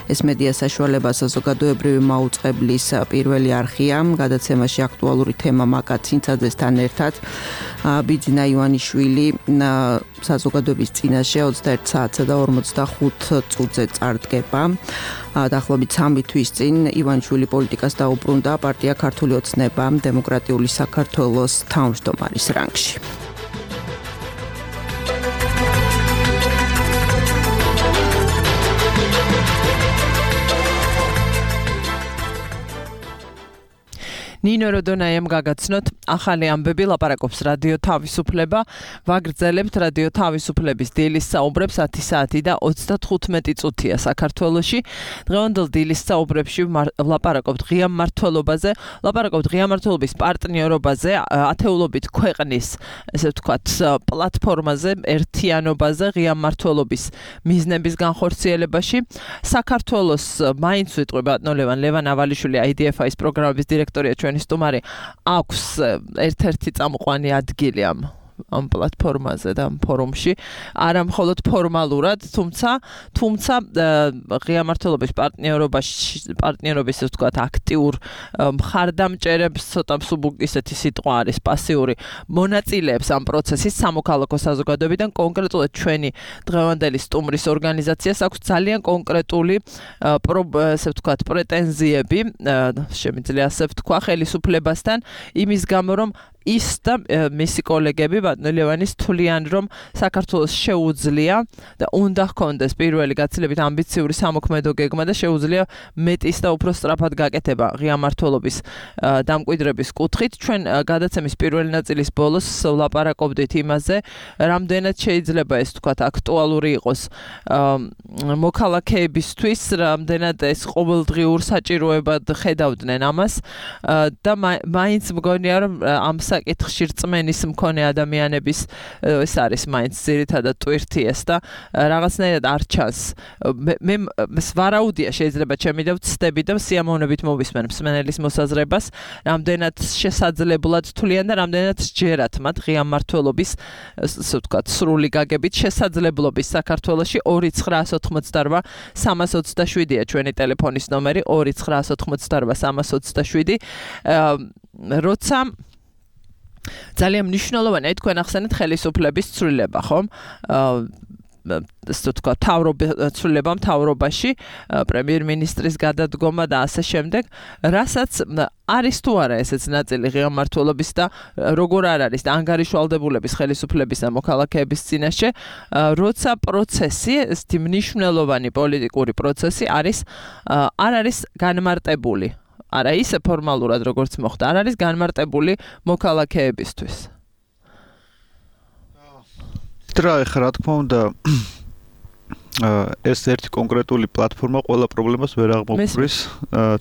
ეს მედია საშუალება საზოგადოებრივი მაუწყებლის პირველი არხია. გადაცემაში აქტუალური თემა მაკა ცინცაძესთან ერთად ბიძინა ივანიშვილი საზოგადოების წინაშე ოცდაერთ საათსა და ორმოცდახუთ წუთზე წარდგება. დაახლოებით სამი თვის წინ ივანიშვილი პოლიტიკას დაუბრუნდა პარტია ქართული ოცნება დემოკრატიული საქართველოს თავმჯდომარის რანგში. ნინო როდონაიამ გაგაცნოთ ახალი ამბები ლაპარაკობს რადიო თავისუფლება ვაგრძელებთ რადიო თავისუფლების დილის საუბრებს ათი საათი და ოცდათხუთმეტი წუთია საქართველოში დღევანდელ დილის საუბრებში ლაპარაკობთ ღია მმართველობაზე ლაპარაკობთ ღია მმართველობის პარტნიორობაზე ათეულობით ქვეყნის ესე ვთქვათ პლატფორმაზე ერთიანობაზე ღია მმართველობის მიზნების განხორციელებაში საქართველოს მაინც ვიტყვი ბატონო ლევან ლევან ავალიშვილი აი დი ეფ აის პროგრამების დირექტორია ჩვენი სტუმარი აქვს ერთ-ერთი წამყვანი ადგილი ამ ამ პლატფორმაზე და ამ ფორუმში არა მხოლოდ ფორმალურად თუმცა თუმცა ღია მმართველობის პარტნიორობაში პარტნიორობის ასე ვთქვათ აქტიურ მხარდამჭერებს ცოტა ისეთი სიტყვა არის პასიური მონაწილეებს ამ პროცესის სამოქალაქო საზოგადოებიდან კონკრეტულად ჩვენი დღევანდელი სტუმრის ორგანიზაციას აქვს ძალიან კონკრეტული ასე ვთქვათ პრეტენზიები შემიძლია ასე ვთქვა ხელისუფლებასთან იმის გამო რომ ის და მისი კოლეგები ბატონო ლევანის თვლიან რომ საქართველოს შეუძლია და უნდა ჰქონდეს პირველი გაცილებით ამბიციური სამოქმედო გეგმა და შეუძლია მეტის და უფრო სწრაფად გაკეთება ღია მმართველობის დამკვიდრების კუთხით ჩვენ გადაცემის პირველი ნაწილის ბოლოს ვლაპარაკობდით იმაზე რამდენად შეიძლება ეს თქვათ აქტუალური იყოს მოქალაქეებისთვის რამდენად ეს ყოველდღიურ საჭიროებად ხედავდნენ ამას და მაინც მგონია რომ ამ საკითხში რწმენის მქონე ადამიანების ეს არის მაინც ძირითადად ტვირთი ეს და რაღაცნაირად არ ჩანს მე ვარაუდია შეიძლება ჩემი და ვცდები და სიამოვნებით მოვისმენ მსმენელის მოსაზრებას რამდენად შესაძლებლად თვლიან და რამდენად სჯერათ მათ ღია მმართველობის ასე ვთქვათ სრული გაგებით შესაძლებლობის საქართველოში ორი ცხრაასი ოცდაოთხმოცდარბა სამას ოცდაშვიდია ჩვენი ტელეფონის ნომერი ორი ცხრაასი ოცდაოთხმოცდარბა სამას ოცდაშვიდი როცა ძალიან მნიშვნელოვანია თქვენ ახსენეთ ხელისუფლების ცვლილება ხომ ასე თქვა თავრობა მთავრობაში პრემიერ-მინისტრის გადადგომა და ასე შემდეგ რასაც არის თუ არა ესეც ნაწილი ღია მმართველობის და როგორ არ არის და ანგარიშვალდებულების ხელისუფლების და მოქალაქეების წინაშე როცა პროცესი ესეთი მნიშვნელოვანი პოლიტიკური პროცესი არის არ არის განმარტებული არა ისე ფორმალურად როგორც მოხდა არ არის განმარტებული მოქალაქეებისთვის რა ეხლა რა თქმა უნდა ეს ერთი კონკრეტული პლატფორმა ყველა პრობლემას ვერ აღმოფხრის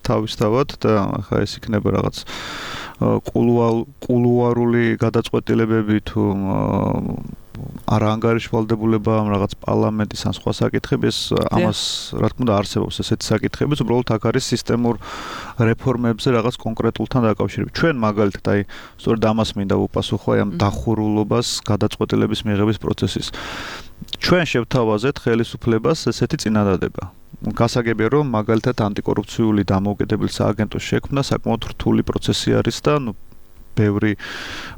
თავისთავად და ახლა ეს იქნება რაღაც კულუარული გადაწყვეტილებები თუ არა ანგარიშვალდებულება ამ რაღაც პარლამენტის ან სხვა საკითხები ეს ამას რა თქმა უნდა არსებობს ესეთი საკითხები უბრალოდ აქ არის სისტემურ რეფორმებზე რაღაც კონკრეტულთან დაკავშირებით ჩვენ მაგალითად აი სწორედ ამას მინდა ვუპასუხო აი ამ დახურულობას გადაწყვეტილების მიღების პროცესის ჩვენ შევთავაზეთ ხელისუფლებას ესეთი წინადადება გასაგებია რომ მაგალითად ანტიკორუფციული დამოუკიდებელი სააგენტოს შექმნა საკმაოდ რთული პროცესი არის და ნუ ბევრი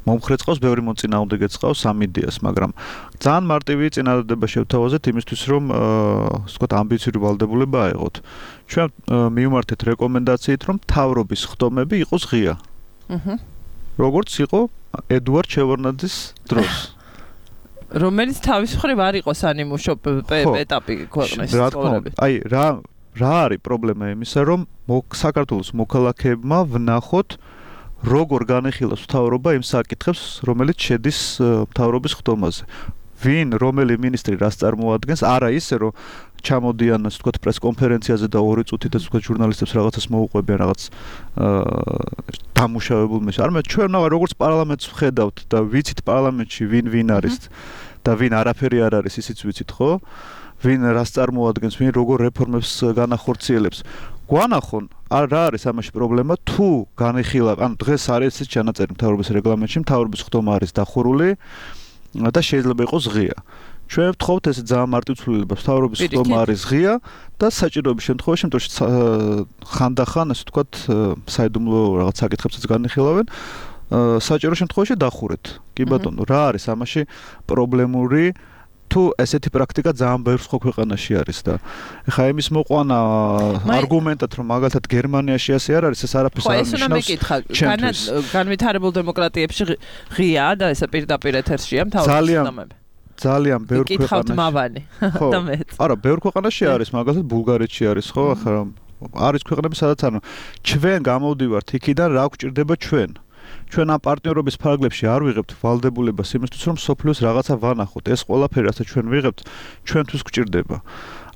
მომხრე წყავს, ბევრი მოწინააღმდეგე წყავს ამ იდეას, მაგრამ ძალიან მარტივი წინადადება შევთავაზეთ იმისთვის, რომ ასე ვთქვათ, ამბიციური ვალდებულება აიღოთ. ჩვენ მივმართეთ რეკომენდაციით, რომ მთავრობის ხდომები იყოს ღია. აჰა. როგორც იყო ედუარდ შევარდნაძის დროს. რომელიც თავის მხრივ არ იყო სანიმუშო ეტაპი ქვეყნის ცხოვრების. აი, რა რა არის პრობლემა იმისა, რომ საქართველოს მოქალაქეებმა ვნახოთ როგორ განეხილავს მთავრობა იმ საკითხებს, რომელიც შედის მთავრობის ხდომაზე. ვინ, რომელი მინისტრი რას წარმოადგენს, არა ისე, რომ ჩამოდიან, ასე ვთქვათ, პრესკონფერენციაზე და ორი წუთით, ასე ვთქვათ, ჟურნალისტებს რაღაცას მოუყვებიან, რაღაც დამუშავებულ მეშ. არამედ ჩვენ როგორც პარლამენტს ვხედავთ და ვიცით პარლამენტში ვინ ვინ არის და ვინ არაფერი არ არის, ისიც ვიცით, ხო? ვინ რას წარმოადგენს, ვინ როგორ რეფორმებს განახორციელებს. გვანახონ, რა არის ამაში პრობლემა, თუ განეხილა, ანუ დღეს არის ეს ჩანაწერი მთავრობის რეგლამენტში, მთავრობის ხდომა არის დახურული და შეიძლება იყოს ღია. ჩვენ ვთხოვთ ესე ძალიან მარტივ ცვლილებას, მთავრობის ხდომა არის ღია და საჭიროების შემთხვევაში, შემთხვევაში ხანდახან, ასე ვთქვათ, საიდუმლო რაღაც საკითხებსაც განეხილავენ, საჭირო შემთხვევაში დახურეთ. კი ბატონო, რა არის ამაში პრობლემური თუ ესეთი პრაქტიკა ძალიან ბევრ სხვა ქვეყანაში არის და ეხა იმის მოყვანა არგუმენტად რომ მაგალითად გერმანიაში ასე არ არის ეს არაფერს არ ნიშნავს. ხო, ეს უნდა მეკითხა. განვითარებულ დემოკრატიებში ღიაა და ეს პირდაპირ ეთერშია მთავრობის ხდომები. ძალიან ბევრ ქვეყანაში. მიკითხავთ მავანი და მეც. არა, ბევრ ქვეყანაში არის, მაგალითად ბულგარეთში არის, ხო, ახლა არის ქვეყნები, სადაც ანუ ჩვენ გამოვდივართ იქიდან, რა გვჭირდება ჩვენ. ჩვენ ამ პარტნიორობის ფარგლებში არ ვიღებთ ვალდებულებას იმისთვის, რომ სოფლიოს რაღაცა ვანახოთ. ეს ყველაფერი, რასაც ჩვენ ვიღებთ, ჩვენთვის გვჭირდება.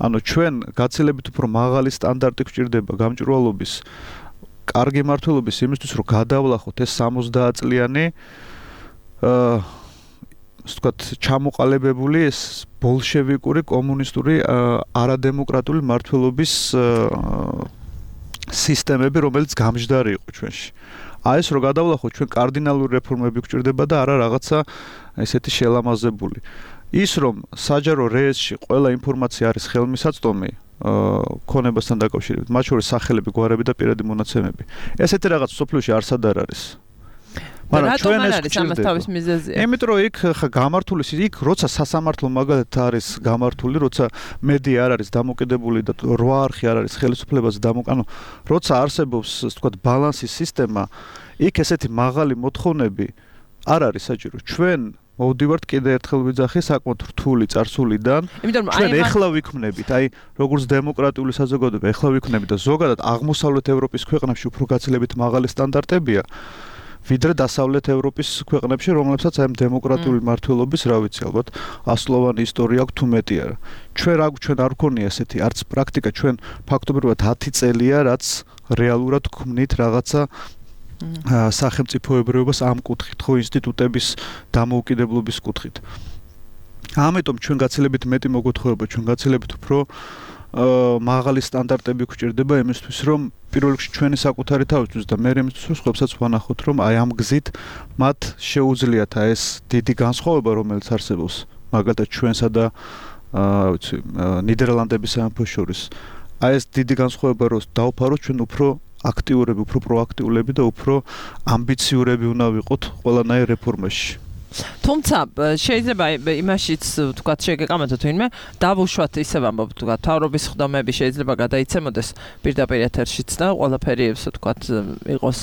ანუ ჩვენ გაცილებით უფრო მაღალი სტანდარტი გვჭირდება გამჭვირვალობის, კარგი მმართველობის იმისთვის, რომ გადავლახოთ ეს სამოცდაათ წლიანი აა ასე ვთქვათ, ჩამოყალიბებული ეს ბოლშევიკური, კომუნისტური, არადემოკრატიული მმართველობის სისტემები, რომელიც გამჯდარი იყო ჩვენში. აი ეს რო გადავლახოთ, ჩვენ კარდინალური რეფორმები გვჭირდება და არა რაღაცა ესეთი შელამაზებული. ის რომ საჯარო რეესში ყველა ინფორმაცია არის ხელმისაწვდომი ქონებასთან დაკავშირებით, მათ შორის სახელები, გვარები და პირადი მონაცემები. ესეთი რაღაც სოფლიოში არსად არ არის. მაგრამ ჩვენ ეს არის ამას თავის მიზეზია. იმიტომ რომ იქ ხა გამართული იქ როცა სასამართლო მაგალითად არის გამართული, როცა მედია არ არის დამოკიდებული და რვა არხი არ არის ხელისუფლებაზე დამოკიდებული, როცა არსებობს ასე ვთქვათ ბალანსის სისტემა, იქ ესეთი მაღალი მოთხოვნები არ არის საჭირო. ჩვენ მოვდივართ კიდე ერთხელ ვიძახი საკმაოდ რთული წარსულიდან. ჩვენ ეხლა ვიქმნებით, აი როგორც დემოკრატიული საზოგადოება ეხლა ვიქმნებით და ზოგადად აღმოსავლეთ ევროპის ქვეყნებში უფრო გაცილებით მაღალი სტანდარტებია. ვიდრე დასავლეთ ევროპის ქვეყნებში, რომლებსაც აი დემოკრატიული მმართველობის, რა ვიცი, ალბათ ასლოვანი ისტორია აქვს თუ მეტი არა. ჩვენ რა ჩვენ არ გქონია ესეთი არც პრაქტიკა, ჩვენ ფაქტობრივად ათი წელია, რაც რეალურად გქმნით რაღაცა სახელმწიფოებრიობას ამ კუთხით, ხო ინსტიტუტების დამოუკიდებლობის კუთხით. ამიტომ ჩვენ გაცილებით მეტი მოგოთხოვება, ჩვენ გაცილებით უფრო მაღალი სტანდარტები გვჭირდება იმისთვის, რომ პირველ რიგში ჩვენი საკუთარი თავისთვის და მე იმისთვის, რომ სხვებსაც ვანახოთ, რომ აი ამ გზით მათ შეუძლიათ აი ეს დიდი განსხვავება, რომელიც არსებობს, მაგალითად ჩვენსა და აა ვიცი, ნიდერლანდების სამეფოს შორის. აი ეს დიდი განსხვავება რომ დავფაროთ, ჩვენ უფრო აქტიურები, უფრო პროაქტიულები და უფრო ამბიციურები უნდა ვიყოთ ყველანაირ რეფორმაში. თუმცა შეიძლება იმაშიც თქვა შეგეკამათოთ ვინმე დავუშვათ ისე ვამბობ თქვა თავრობის ხდომები შეიძლება გადაიცემოდეს პირდაპირ ეთერშიც და ყველაფერი ასე თქვა იყოს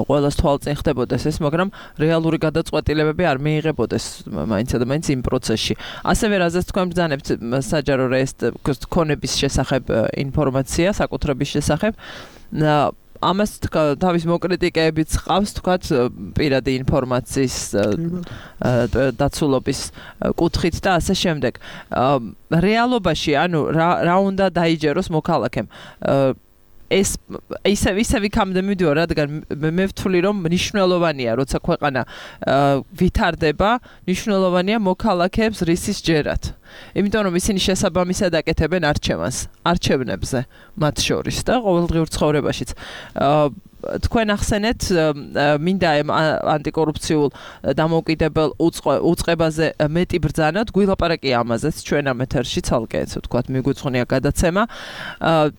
ყველას თვალწინ ხდებოდეს ეს მაგრამ რეალური გადაწყვეტილებები არ მიიღებოდეს მაინც და მაინც იმ პროცესში ასევე რაზეც თქვენ ბრძანებთ საჯარო რეესტრ ქონების შესახებ ინფორმაცია საკუთრების შესახებ ამას თავის მოკრიტიკეებიც ყავს თქვათ პირადი ინფორმაციის დაცულობის კუთხით და ასე შემდეგ. რეალობაში ანუ რა უნდა დაიჯეროს მოქალაქემ ეს ისე ისე ვიქამდე მივიდივარ, რადგან მე ვთვლი რომ მნიშვნელოვანია, როცა ქვეყანა ვითარდება, მნიშვნელოვანია მოქალაქეებს რისის ჯერად. იმიტომ რომ ისინი შესაბამისად აკეთებენ არჩევანს, არჩევნებზე მათ შორის და ყოველდღიურ ცხოვრებაშიც. თქვენ ახსენეთ მინდა ანტიკორუფციულ დამოუკიდებელ უწყებაზე მეტი ბრძანა, გვილაპარაკია ამაზეც ჩვენ ამ ეთერში ცალკე ესე ვთქვათ მიგვიძღვნია გადაცემა.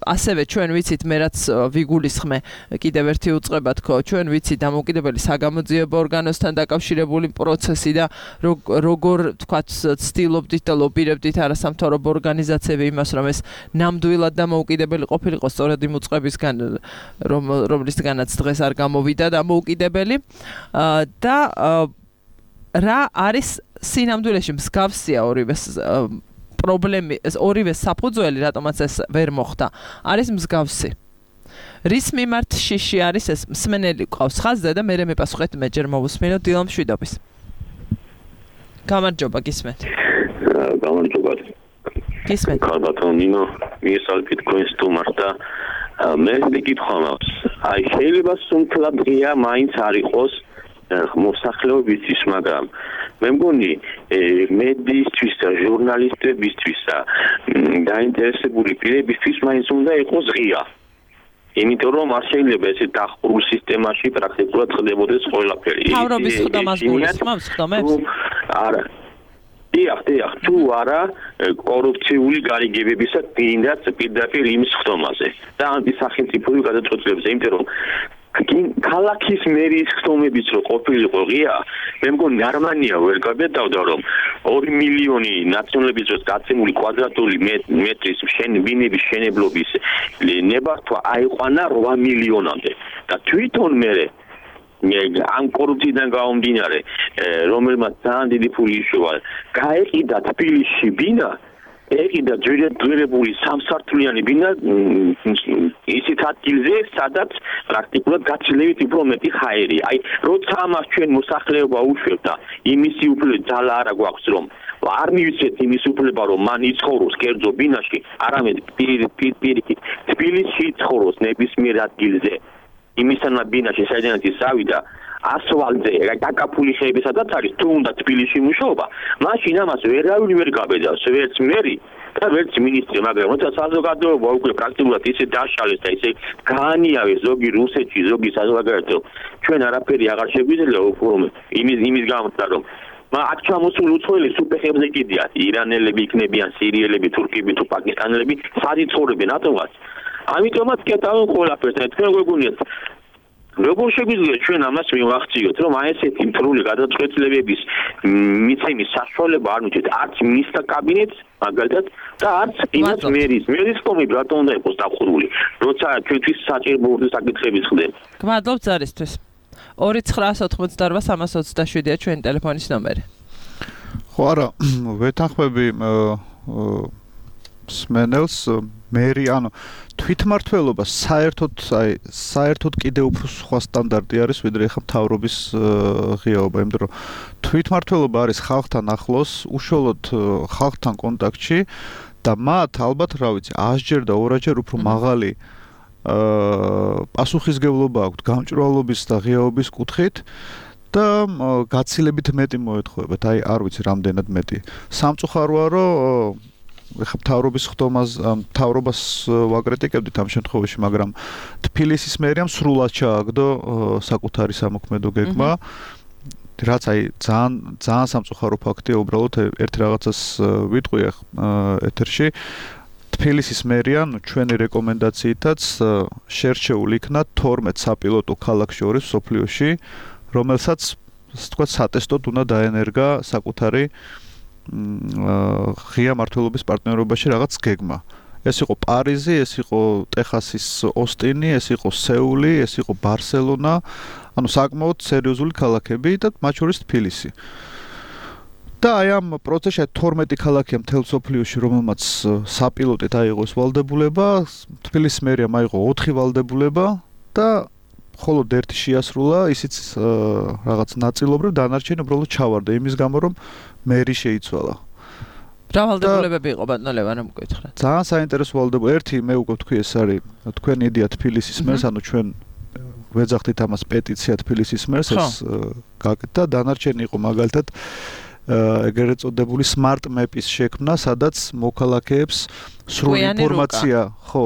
ასევე ჩვენ ვიცით მე რაც ვიგულისხმე კიდევ ერთი უწყება თქო, ჩვენ ვიცით დამოუკიდებელი საგამოძიებო ორგანოსთან დაკავშირებული პროცესი და როგორ ვთქვათ ცდილობდით და ლობირებდით არასამთავრობო ორგანიზაციები იმას რომ ეს ნამდვილად დამოუკიდებელი ყოფილიყო სწორედ იმ უწყებისგან რომ რომლისგან განაც დღეს არ გამოვიდა დამოუკიდებელი და რა არის სინამდვილეში მსგავსია ორივე პრობლემი ორივე საფუძველი რატომაც ეს ვერ მოხდა არის მსგავსი რის მიმართ შიში არის ეს მსმენელი ყავს ხაზზე და მე მეპასუხეთ მე ჯერ მოვუსმინო დილა მშვიდობის გამარჯობა გისმენთ გამარჯობა გისმენთ კარბატონ ნინო მისალკით თქვენს თუმართ და მე მეკითხვა მაქვს აი შეიძლება სულ დღეა მაინც არ იყოს მოსახლეობისთვის მაგრამ მე მგონი მედიისთვის და ჟურნალისტებისთვის და დაინტერესებული პირებისთვის მაინც უნდა იყოს ღია იმიტომ რომ არ შეიძლება ესე დახურულ სისტემაში პრაქტიკულად ხდებოდეს ყველაფერი თავრობის ხდომას გულისხმობს ხდომებს არა დიახ, დიახ, თუ არა კორუფციული გარიგებებისა კიდაც პირდაპირ იმის ხდომაზე და ანტისახელმწიფოებრივ გადაწყვეტილებებზე, იმიტომ რომ ქალაქის მერიის ხდომებიც რო ყოფილიყო ღია, მე მგონი გერმანია ვერ გაგეტავდა რომ ორი მილიონი ნაციონალების დროს გაცემული კვადრატული მეტრის ბინების შენებლობის ნებართვა აიყვანა რვა მილიონამდე და თვითონ მე ამ კორუფციიდან გამომდინარე, რომელმაც ძალიან დიდი ფული იშოვა, გაეყიდა თბილისში ბინა ეკიდა ძვირებული სამსართულიანი ბინა ისეთ ადგილზე, სადაც პრაქტიკულად გაცილებით უფრო მეტი ჰაერია. აი, როცა ამას ჩვენ მოსახლეობა უშვებთ და იმისი უფრო ძალა არა გვაქვს, რომ არ მივიცეთ იმის უფლება, რომ მან იცხოვროს კერძო ბინაში, არამედ პირიქით თბილისში იცხოვროს ნებისმიერ ადგილზე. იმისანა ბინაში, საიდანაც ის ავიდა ასვალზე, გაკაფული ხეები სადაც არის, თუ უნდა თბილისში მუშაობა, მაშინ ამას ვერავინ ვერ გაბედავს, ვერც მერი და ვერც მინისტრი, მაგრამ როცა საზოგადოება უკვე პრაქტიკულად ისე დაშალეს და ისე გაანიავეს ზოგი რუსეთში, ზოგი საზოგადოება, ჩვენ არაფერი აღარ შეგვიძლია უფრო იმის იმის გამო რომ აქ ჩამოსული უცხოელი სუპეხებზე კიდია, ირანელები იქნებიან, სირიელები, თურქები თუ პაკისტანელები, სად იცხოვრებენ ატომას. ამიტომაც კეთავენ ყველაფერს და თქვენ გვეგონიათ როგორ შეგვიძლია ჩვენ ამას მივახციოთ, რომ აი ესეთი მთრული გადაწყვეტილებების მიცემის საშუალება არ მიჩნევთ არც მინისტრთა კაბინეტს, მაგალითად, და არც იმას მერის, მერის კომიტეტს რატომ უნდა იყოს დახურული, როცა ჩვენთვის საჭირო საკითხებიც ხდება. გმადლობთ ზარისთვის. ორი ცხრა ოთხმოცდაორვა სამას ოცდაშვიდია ჩვენი ტელეფონის ნომერი. ხო არა, ვეთანხმები სმენელს მერი, ანუ თვითმმართველობა საერთოდ, აი, საერთოდ კიდევ უფრო სხვა სტანდარტი არის, ვიდრე ახლა მთავრობის ღიაობა, იმიტომ რომ თვითმმართველობა არის ხალხთან ახლოს, უშუალოდ ხალხთან კონტაქტში და მათ ალბათ, რა ვიცი, ასჯერ და ორჯერ უფრო მაღალი აა პასუხისგებლობა აქვთ გამჭვირვალობის და ღიაობის კუთხით და გაცილებით მეტი მოეთხოვებათ, აი არ ვიცი რამდენად მეტი. სამწუხაროა, რომ ეხლა მთავრობის ხდომას, მთავრობას ვაკრიტიკებდით ამ შემთხვევაში, მაგრამ თბილისის მერიამ სრულად ჩააგდო საკუთარი სამოქმედო გეგმა, რაც აი ძალიან ძალიან სამწუხარო ფაქტია, უბრალოდ ერთ რაღაცას ვიტყვი ეთერში. თბილისის მერია ჩვენი რეკომენდაციითაც შერჩეული იქნა თორმეტ საპილოტო ქალაქს შორის სოფლიოში, რომელსაც ასე ვთქვათ სატესტოდ უნდა დაენერგა საკუთარი ღია მმართველობის პარტნიორობაში რაღაც გეგმა. ეს იყო პარიზი, ეს იყო ტეხასის ოსტინი, ეს იყო სეული, ეს იყო ბარსელონა, ანუ საკმაოდ სერიოზული ქალაქები და მათ შორის თბილისი. და აი ამ პროცესში თორმეტი ქალაქია მთელ სოფლიოში, რომელმაც საპილოტით აიღო ეს ვალდებულება, თბილისის მერიამ აიღო ოთხი ვალდებულება და მხოლოდ ერთი შეასრულა, ისიც რაღაც ნაწილობრივ, დანარჩენი უბრალოდ ჩავარდა იმის გამო, რომ მერი შეიცვალა. რა ვალდებულებები იყო ბატონო ლევან, რომ გკითხეთ? ძალიან საინტერესო ვალდებულება. ერთი მე უკვე ვთქვი, ეს არის თქვენი იდეა თბილისის მერს, ანუ ჩვენ ვეძახდით ამას პეტიცია თბილისის მერს, ეს გაკეთდა, დანარჩენი იყო მაგალითად ეგრეთ წოდებული smart map-ის შექმნა, სადაც მოქალაქეებს სრული ინფორმაცია, ხო,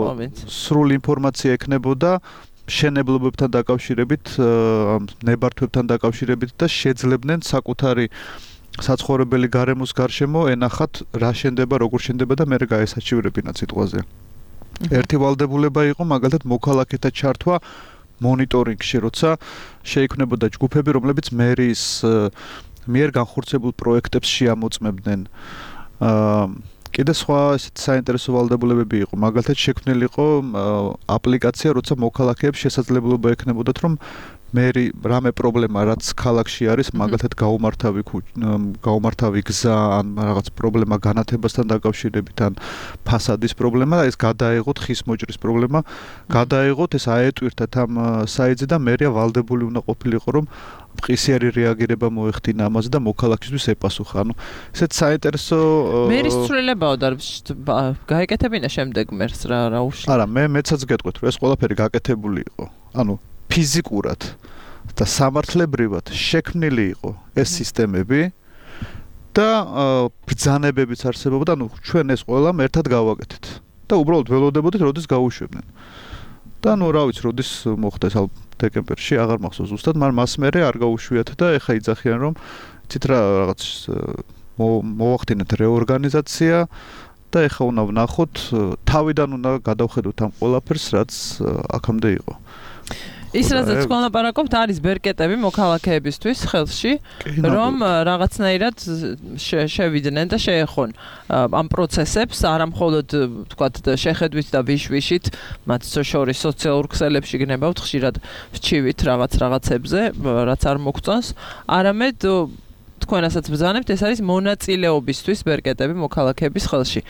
სრული ინფორმაცია ექნებოდა შენებლობებთან დაკავშირებით, ნებართვებთან დაკავშირებით და შეძლებდნენ საკუთარი საცხოვრებელი გარემოს გარშემო ენახათ რა შენდება, როგორ შენდება და მე გაესაჩივრებინათ სიტყვაზე. ერთი ვალდებულება იყო მაგალითად მოქალაქეთა ჩართვა მონიტორინგში, როცა შეიქმნებოდა ჯგუფები, რომლებიც მერის მიერ განხორციელებულ პროექტებს შეამოწმებდნენ. აა კიდე სხვა ესეთ საინტერესო ვალდებულებები იყო. მაგალითად შექმნილი იყო აპლიკაცია, როცა მოქალაქეებს შესაძლებლობა ექნებოდათ, რომ მერი რამე პრობლემა რაც ქალაქში არის, მაგალითად გაუმართავი გაუმართავი გზა ან რაღაც პრობლემა განათებასთან დაკავშირებით ან ფასადის პრობლემა, ეს გადაეღოთ ხის მოჭრის პრობლემა, გადაეღოთ ეს აეტვირთათ ამ საიტზე და მერია ვალდებული უნდა ყოფილიყო, რომ მყისიერი რეაგირება მოეხდინა ამაზე და მოქალაქისთვის ეპასუხა. ანუ ესეთ საინტერესო მერის ცვლილებაო და გაეკეთებინა შემდეგ მერს რა რა უშლი. არა, მე მეცაც გეტყვით, რომ ეს ყველაფერი გაკეთებული იყო. ანუ ფიზიკურად და სამართლებრივად შექმნილი იყო ეს სისტემები და ბრძანებებიც არსებობდა, ანუ ჩვენ ეს ყველამ ერთად გავაკეთეთ და უბრალოდ ველოდებოდით, როდის გაუშვებდნენ. და ნუ რა ვიცი, როდის მოხდა ეს დეკემბერში, აღარ მახსოვს ზუსტად, მაგრამ მას მერე არ გაუშვიათ და ეხა იძახიან, რომ იცით რა რაღაც მოახდინეთ რეორგანიზაცია და ეხა უნდა ვნახოთ, თავიდან უნდა გადავხედოთ ამ ყველაფერს, რაც აქამდე იყო. ის რაზეც გონაპარაკობთ არის ბერკეტები მოქალაქეებისთვის ხელში, რომ რაღაცნაირად შევიდნენ და შეეხონ ამ პროცესებს, არა მხოლოდ თქვათ შეხედვით და ვიშვიშით, მათ შორის სოციალურ ქსელებში გნებავთ ხშირად ვჩივით რაღაც რაღაცებზე, რაც არ მოგწონს, არამედ თქვენასაც ბრძანებთ, ეს არის მონაწილეობისთვის ბერკეტები მოქალაქეების ხელში.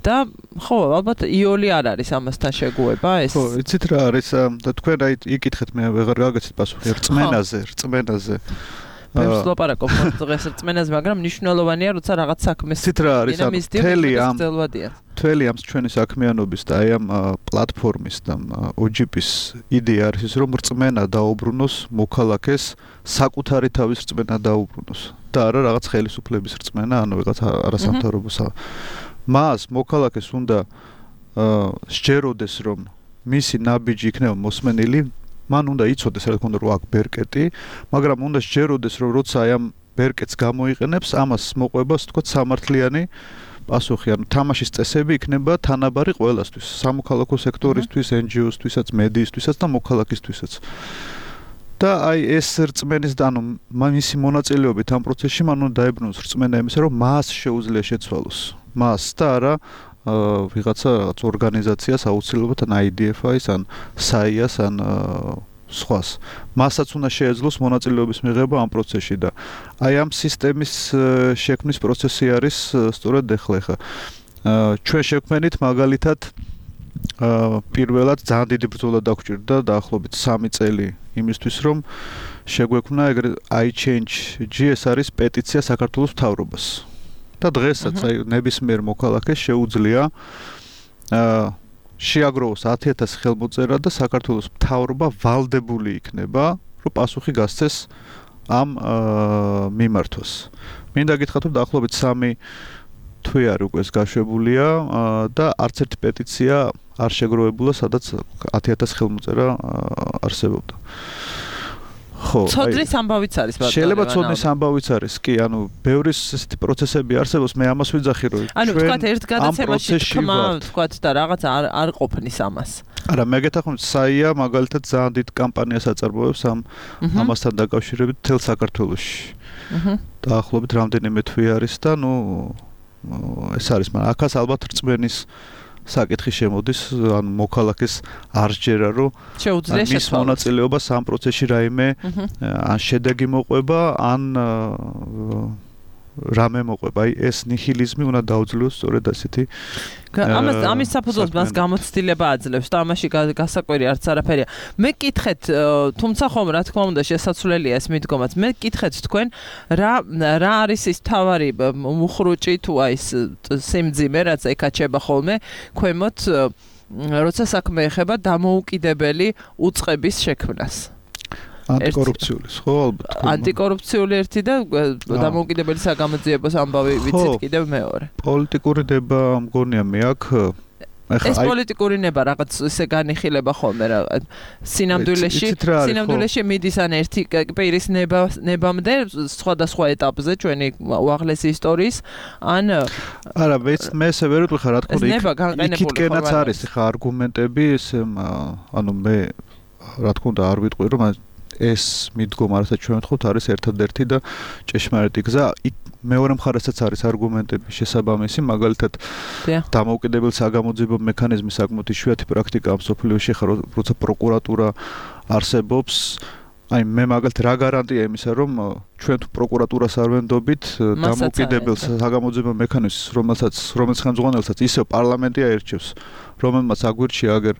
და ხო, ალბათ იოლი არ არის ამასთან შეგუება ეს. ხო, იცით რა არის და თქვენ აი იკითხეთ მე ვეღარ გაგაცეთ პასუხი რწმენაზე, რწმენაზე. მე ვსლაპარაკობ დღეს რწმენაზე, მაგრამ მნიშვნელოვანია, როცა რაღაც საქმეს იცით რა არის მთელი ამ მთელი ამ ჩვენი საქმიანობის და აი ამ პლატფორმის და O G P-ის იდეა არის ის, რომ რწმენა დაუბრუნოს მოქალაქეს საკუთარი თავის რწმენა დაუბრუნოს და არა რაღაც ხელისუფლების რწმენა, ანუ რაღაც არასამთავრობოს მას მოქალაქეს უნდა სჯეროდეს, რომ მისი ნაბიჯი იქნება მოსმენილი, მან უნდა იცოდეს, რა თქმა უნდა, რომ აქ ბერკეტი, მაგრამ უნდა სჯეროდეს, რომ როცა აი ამ ბერკეტს გამოიყენებს, ამას მოყვება, ასე ვთქვათ, სამართლიანი პასუხი, ანუ თამაშის წესები იქნება თანაბარი ყველასთვის, სამოქალაქო სექტორისთვის, N G O-სთვისაც, მედიისთვისაც და მოქალაქისთვისაც. და აი ეს რწმენის და ანუ მისი მონაწილეობით ამ პროცესში მან უნდა დაებრუნოს რწმენა იმისა, რომ მას შეუძლია შეცვალოს. მას და არა ვიღაცა რაღაც ორგანიზაციას აუცილებლად ან I D F I-ს ან S A I-ას ან სხვას. მასაც უნდა შეეძლოს მონაწილეობის მიღება ამ პროცესში და აი ამ სისტემის შექმნის პროცესი არის სწორედ ეხლა ხა. ჩვენ შექმნით მაგალითად პირველად ძალიან დიდი ბრძოლა დაგვჭირდა დაახლოებით სამი წელი იმისთვის, რომ შეგვექმნა ეგრე I Change G, ეს არის პეტიცია საქართველოს მთავრობას. და დღესაც აი ნებისმიერ მოქალაქეს შეუძლია აა შეაგროვოს ათი ათასი ხელმოწერა და საქართველოს მთავრობა ვალდებული იქნება, რომ პასუხი გასცეს ამ მიმართვას. მინდა გითხრათ, რომ დაახლოებით სამი თვე არის უკვე ეს გაშვებულია და არც ერთი პეტიცია არ შეგროვებულა, სადაც ათი ათასი ხელმოწერა არსებობდა. ხო, ცოდნის ამბავიც არის ბატონო. შეიძლება ცოდნის ამბავიც არის, კი, ანუ ბევრი ესეთი პროცესები არსებობს, მე ამას ვიძახი, რომ ანუ თქვათ ერთ გადაცემაში თქმა, თქვათ და რაღაც არ არ ყოფნის ამას. არა, მე გეთახმებით, S A I-ა მაგალითად ძალიან დიდ კამპანიას აწარმოებს ამ ამასთან დაკავშირებით მთელ საქართველოში. დაახლოებით რამდენიმე თვე არის და ნუ ეს არის, მაგრამ აქაც ალბათ რწმენის საკითხი შემოდის, ან მოქალაქეს არ სჯერა, რომ შეუძლია მის მონაწილეობას ამ პროცესში რაიმე ან შედეგი მოყვება, ან რამე მოყვება. აი ეს ნიჰილიზმი უნდა დაუძლიოს სწორედ ასეთი. ამას ამის საფუძველს მას გამოცდილება აძლევს და ამაში გასაკვირი არც არაფერია. მე გკითხეთ, თუმცა ხომ რა თქმა უნდა შესაძლებელია ეს მიდგომაც. მე გკითხეთ თქვენ რა რა არის ის თავარი მუხრუჭი თუ აი ეს სიმძიმე, რაც ეკაჩება ხოლმე ქვემოთ, როცა საქმე ეხება დამოუკიდებელი უწყების შექმნას. ანტიკორუფციული, ხო, ალბათ. ანტიკორუფციული ერთი და დამოუკიდებელი საგამოძიებო ამბავი ვიცით კიდევ მეორე. პოლიტიკური ნება მგონია მე აქ ეს პოლიტიკური ნება რაღაც ისე განიხილება ხოლმე რა სინამდვილეში სინამდვილეში მიდის ან ერთი პირის ნება ნებამდე სხვადასხვა ეტაპზე ჩვენი უაღლესი ისტორიის ან არა მე ესე ვერ ვიტყვი ხარ რა თქმა უნდა იქითკენაც არის ხა არგუმენტები ეს ანუ მე რა თქმა უნდა არ ვიტყვი რომ ეს მიდგომა რასაც ჩვენ ვთხოვთ არის ერთადერთი და ჭეშმარიტი გზა მეორე მხარესაც არის არგუმენტები შესაბამისი მაგალითად დამოუკიდებელ საგამოძიებო მექანიზმი საკმაოდ იშვიათი პრაქტიკაა მსოფლიოში ხა როცა პროკურატურა არსებობს აი მე მაგალითად რა გარანტია იმისა რომ ჩვენ თუ პროკურატურას არ ვენდობით დამოუკიდებელ საგამოძიებო მექანიზმს რომელსაც რომელიც ხელმძღვანელსაც ისევ პარლამენტი აირჩევს რომელმაც აგვირჩია აგერ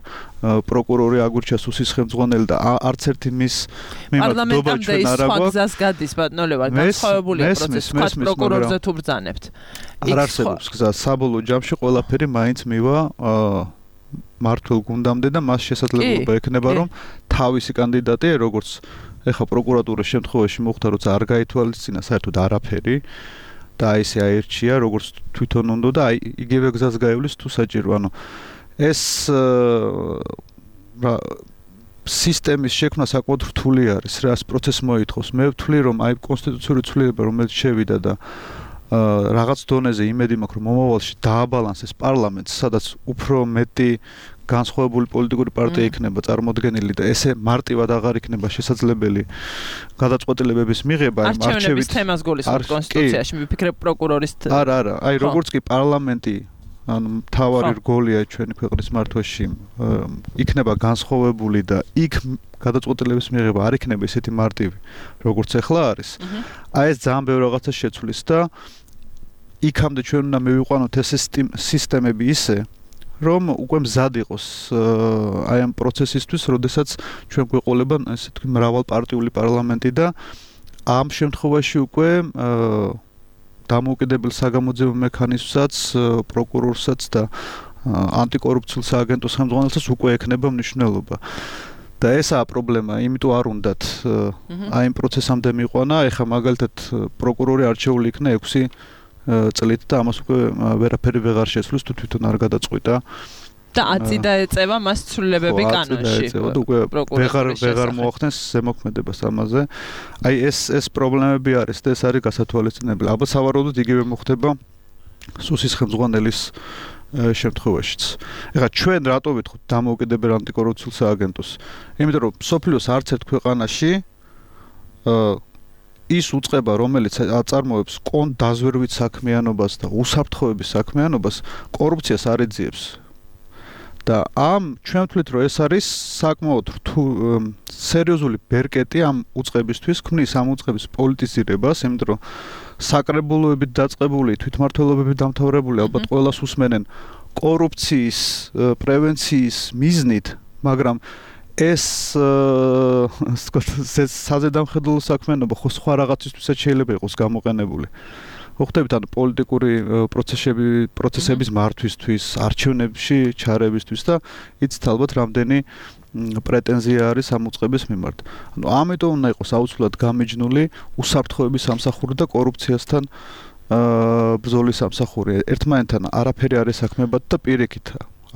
პროკურორი აგვირჩია სუსის ხელმძღვანელი და არც ერთი მის მიმართულება ჩვენ არ აქვს გზას გადის ბატონო ლევან განსხვავებულია პროცესი სხვა პროკურორზე თუ ბრძანებთ არ არსებობს გზა საბოლოო ჯამში ყველაფერი მაინც მივა მართულ გუნდამდე და მას შესაძლებლობა ექნება რომ თავისი კანდიდატი როგორც ეხა პროკურატურის შემთხვევაში მოხდა როცა არ გაითვალისწინა საერთოდ არაფერი და აი ესე აირჩია როგორც თვითონ უნდა და აი იგივე გზას გაივლის თუ საჭირო ანუ ეს რა სისტემის შექმნა საკმაოდ რთული არის რა ეს პროცესი მოითხოვს მე ვთვლი რომ აი კონსტიტუციური ცვლილება რომელიც შევიდა და რაღაც დონეზე იმედი მაქვს რომ მომავალში დააბალანსეს პარლამენტს სადაც უფრო მეტი განსხვავებული პოლიტიკური პარტია იქნება წარმოდგენილი და ესე მარტივად აღარ იქნება შესაძლებელი გადაწყვეტილებების მიღება იმ არჩევნების თემას გულისხმობ კონსტიტუციაში მიფიქრებ პროკურორის არა არა აი როგორც კი პარლამენტი ანუ მთავარი რგოლია ჩვენი ქვეყნის მართვაში იქნება განსხვავებული და იქ გადაწყვეტილების მიღება არ იქნება ისეთი მარტივი, როგორც ახლა არის. აი ეს ძალიან ბევრ რაღაცას შეცვლის და იქამდე ჩვენ უნდა მივიყვანოთ ეს სისტემები ისე, რომ უკვე მზად იყოს აი ამ პროცესისთვის, როდესაც ჩვენ გვეყოლება ესე თქვი მრავალპარტიული პარლამენტი და ამ შემთხვევაში უკვე დამოუკიდებელ საგამოძიებო მექანიზმსაც, პროკურორსაც და ანტიკორუფციულ სააგენტოს ხელმძღვანელსაც უკვე ექნება მნიშვნელობა. და ესაა პრობლემა, იმიტომ არ უნდათ აი ამ პროცესამდე მიყვანა, ეხლა მაგალითად პროკურორი არჩეული იქნა ექვსი წლით და ამას უკვე ვერაფერი ვეღარ შეცვლის თუ თვითონ არ გადაწყვიტა. და ათი დაეწევა მას ცვლილებები კანონში. უკვე ვეღარ ვეღარ მოახდენს ზემოქმედებას ამაზე. აი ეს ეს პრობლემები არის და ეს არის გასათვალისწინებელი. ალბათ სავარაუდოდ იგივე მოხდება სუსის ხელმძღვანელის შემთხვევაშიც. ეხლა ჩვენ რატო ვითხოთ დამოუკიდებელ ანტიკორუფციულ სააგენტოს? იმიტომ რომ სოფლიოს არც ერთ ქვეყანაში ის უწყება, რომელიც აწარმოებს კონ დაზვერვით საქმიანობას და უსაფრთხოების საქმიანობას, კორუფციას არ ეძიებს. და ამ ჩვენ ვთვლით, რომ ეს არის საკმაოდ რთულ სერიოზული ბერკეტი ამ უწყებისთვის, ქმნის ამ უწყების პოლიტიზირებას, იმიტომ რომ საკრებულოებით დაწყებული, თვითმმართველობებით დამთავრებული, ალბათ ყველას უსმენენ კორუფციის პრევენციის მიზნით, მაგრამ ეს საზედამხედველო საქმიანობა ხო სხვა რაღაცისთვისაც შეიძლება იყოს გამოყენებული. მოხდებით ანუ პოლიტიკური პროცესები, პროცესების მართვისთვის, არჩევნებში ჩარევისთვის და იცით ალბათ რამდენი პრეტენზია არის ამ უწყების მიმართ. ანუ ამიტომ უნდა იყოს აუცილებლად გამიჯნული უსაფრთხოების სამსახური და კორუფციასთან ბრძოლის სამსახური. ერთმანეთთან არაფერი არ ესაქმებათ და პირიქით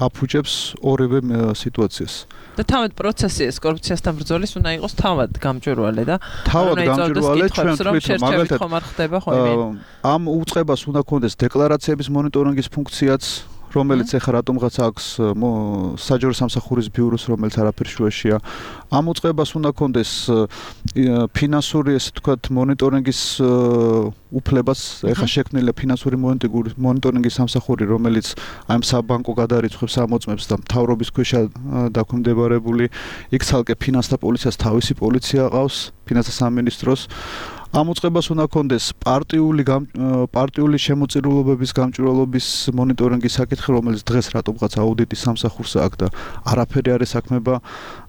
აფუჭებს ორივე სიტუაციას. და თავად პროცესი ეს კორუფციასთან ბრძოლის უნდა იყოს თავად გამჭვირვალე და თავად გამჭვირვალე ჩვენ თვითონ მაგალითად ხომ არ ხდება ხო ამ უწყებას უნდა კონდეს დეკლარაციების მონიტორინგის ფუნქციაც, რომელიც ეხლა რატომღაც აქვს საჯარო სამსახურის ბიუროს, რომელიც არაფერ შუაშია. ამ უწყებას უნდა კონდეს ფინანსური, ესე ვთქვათ, მონიტორინგის უფლებას, ეხლა შექმნილია ფინანსური მონიტორინგის სამსახური, რომელიც აი ამ საბანკო გადარიცხვებს ამოწმებს და მთავრობის ქვეშ დაქვემდებარებული, იქ ცალკე ფინანსთა პოლიციას თავისი პოლიცია ყავს, ფინანსთა სამინისტროს. ამ უწყებას უნდა კონდეს პარტიული პარტიული შემოწირულობების გამჭვირვალობის მონიტორინგის საკითხი, რომელიც დღეს რატომღაც აუდიტის სამსახურს აქვს და არაფერი არ ესაქმება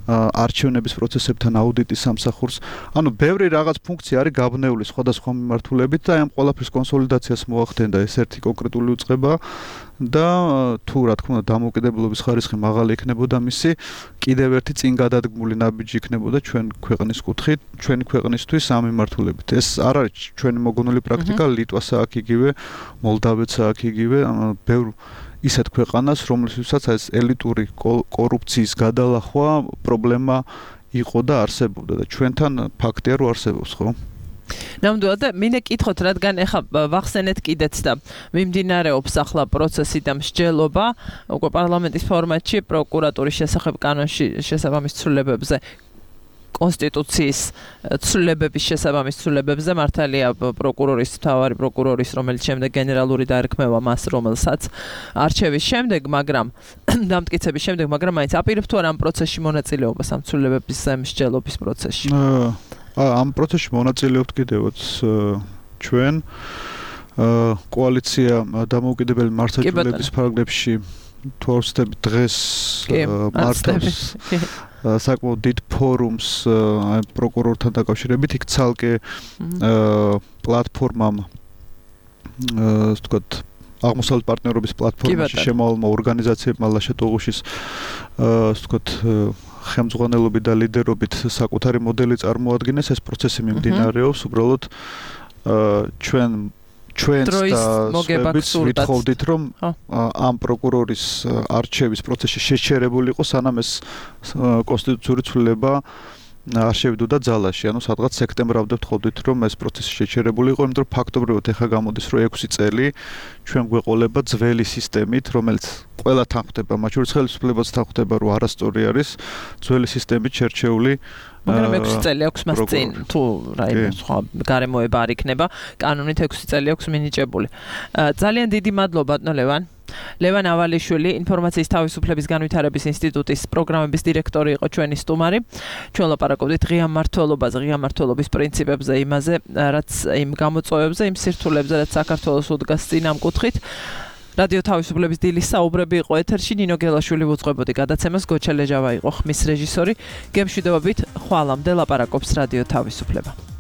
არჩევნების პროცესებთან აუდიტის სამსახურს. ანუ ბევრი რაღაც ფუნქცია არის გაბნეული სხვადასხვა მიმართულებით და აი ამ ყველაფრის კონსოლიდაციას მოახდენდა ეს ერთი კონკრეტული უწყება და თუ რა თქმა უნდა დამოუკიდებლობის ხარისხი მაღალი იქნებოდა მისი, კიდევ ერთი წინ გადადგმული ნაბიჯი იქნებოდა ჩვენ ქვეყნის კუთხით, ჩვენი ქვეყნისთვის ამ მიმართულებით. ეს არ არის ჩვენი მოგონული პრაქტიკა, ლიტვასა აქ იგივე, მოლდავეთსა აქ იგივე, ბევრ ისეთ ქვეყანას, რომლისთვისაც ეს ელიტური კორუფციის გადალახვა პრობლემა იყო და არსებობდა და ჩვენთან ფაქტია რომ არსებობს, ხო? ნამდვილად და მინდა კითხოთ, რადგან ეხა ვახსენეთ კიდეც და მიმდინარეობს ახლა პროცესი და მსჯელობა უკვე პარლამენტის ფორმატში პროკურატურის შესახებ კანონში შესაბამის ცვლილებებზე, კონსტიტუციის ცვლილებების შესაბამის ცვლილებებზე, მართალია პროკურორის, მთავარი პროკურორის, რომელიც შემდეგ გენერალური დაერქმევა მას, რომელსაც არჩევის შემდეგ, მაგრამ დამტკიცების შემდეგ, მაგრამ მაინც აპირებთ თუ არა ამ პროცესში მონაწილეობას ამ ცვლილებების მსჯელობის პროცესში? ამ პროცესში მონაწილეობთ კიდევაც ჩვენ კოალიცია დამოუკიდებელი მართლმსაჯულების ფარგლებში თუ არ ვცდები დღეს მართავს საკმაოდ დიდ ფორუმს აი პროკურორთან დაკავშირებით, იქ ცალკე პლატფორმამ ასე ვთქვათ აღმოსავლეთ პარტნიორობის პლატფორმაში შემოვალმა ორგანიზაციებმა ლაშა-ტუღუშის ასე ვთქვათ ხელმძღვანელობით და ლიდერობით საკუთარი მოდელი წარმოადგენს, ეს პროცესი მიმდინარეობს, უბრალოდ ჩვენ ჩვენს და სხვაებიც ვითხოვდით, რომ ამ პროკურორის არჩევის პროცესში შეჩერებული იყო, სანამ ეს კონსტიტუციური ცვლილება არ შევიდოდა ძალაში, ანუ სადღაც სექტემბრამდე ვთხოვდით, რომ ეს პროცესი შეჩერებული იყო, იმიტომ რომ ფაქტობრივად ეხა გამოდის, რომ ექვსი წელი ჩვენ გვეყოლება ძველი სისტემით, რომელიც ყველათან ხდება, მათ შორის ხელისუფლებასთან ხდება, რომ არასწორი არის ძველი სისტემით შერჩეული. მაგრამ ექვსი წელი აქვს მას წინ, თუ რაიმე სხვა გარემოება არ იქნება, კანონით ექვსი წელი აქვს მინიჭებული. ძალიან დიდი მადლობა, ბატონო ლევან. ლევან ავალიშვილი, ინფორმაციის თავისუფლების განვითარების ინსტიტუტის პროგრამების დირექტორი იყო ჩვენი სტუმარი. ჩვენ ლაპარაკობდით ღია მმართველობაზე, ღია მმართველობის პრინციპებზე, იმაზე, რაც იმ გამოწვევებზე, იმ სირთულებზე, რაც საქართველოს უდგას წინ ამ კუთხით. რადიო თავისუფლების დილის საუბრები იყო ეთერში, ნინო გელაშვილი უძღვებოდი გადაცემას, გოჩა ლეჟავა იყო ხმის რეჟისორი. გემშვიდობებით, ხვალამდე ლაპარაკობს რადიო თავისუფლება.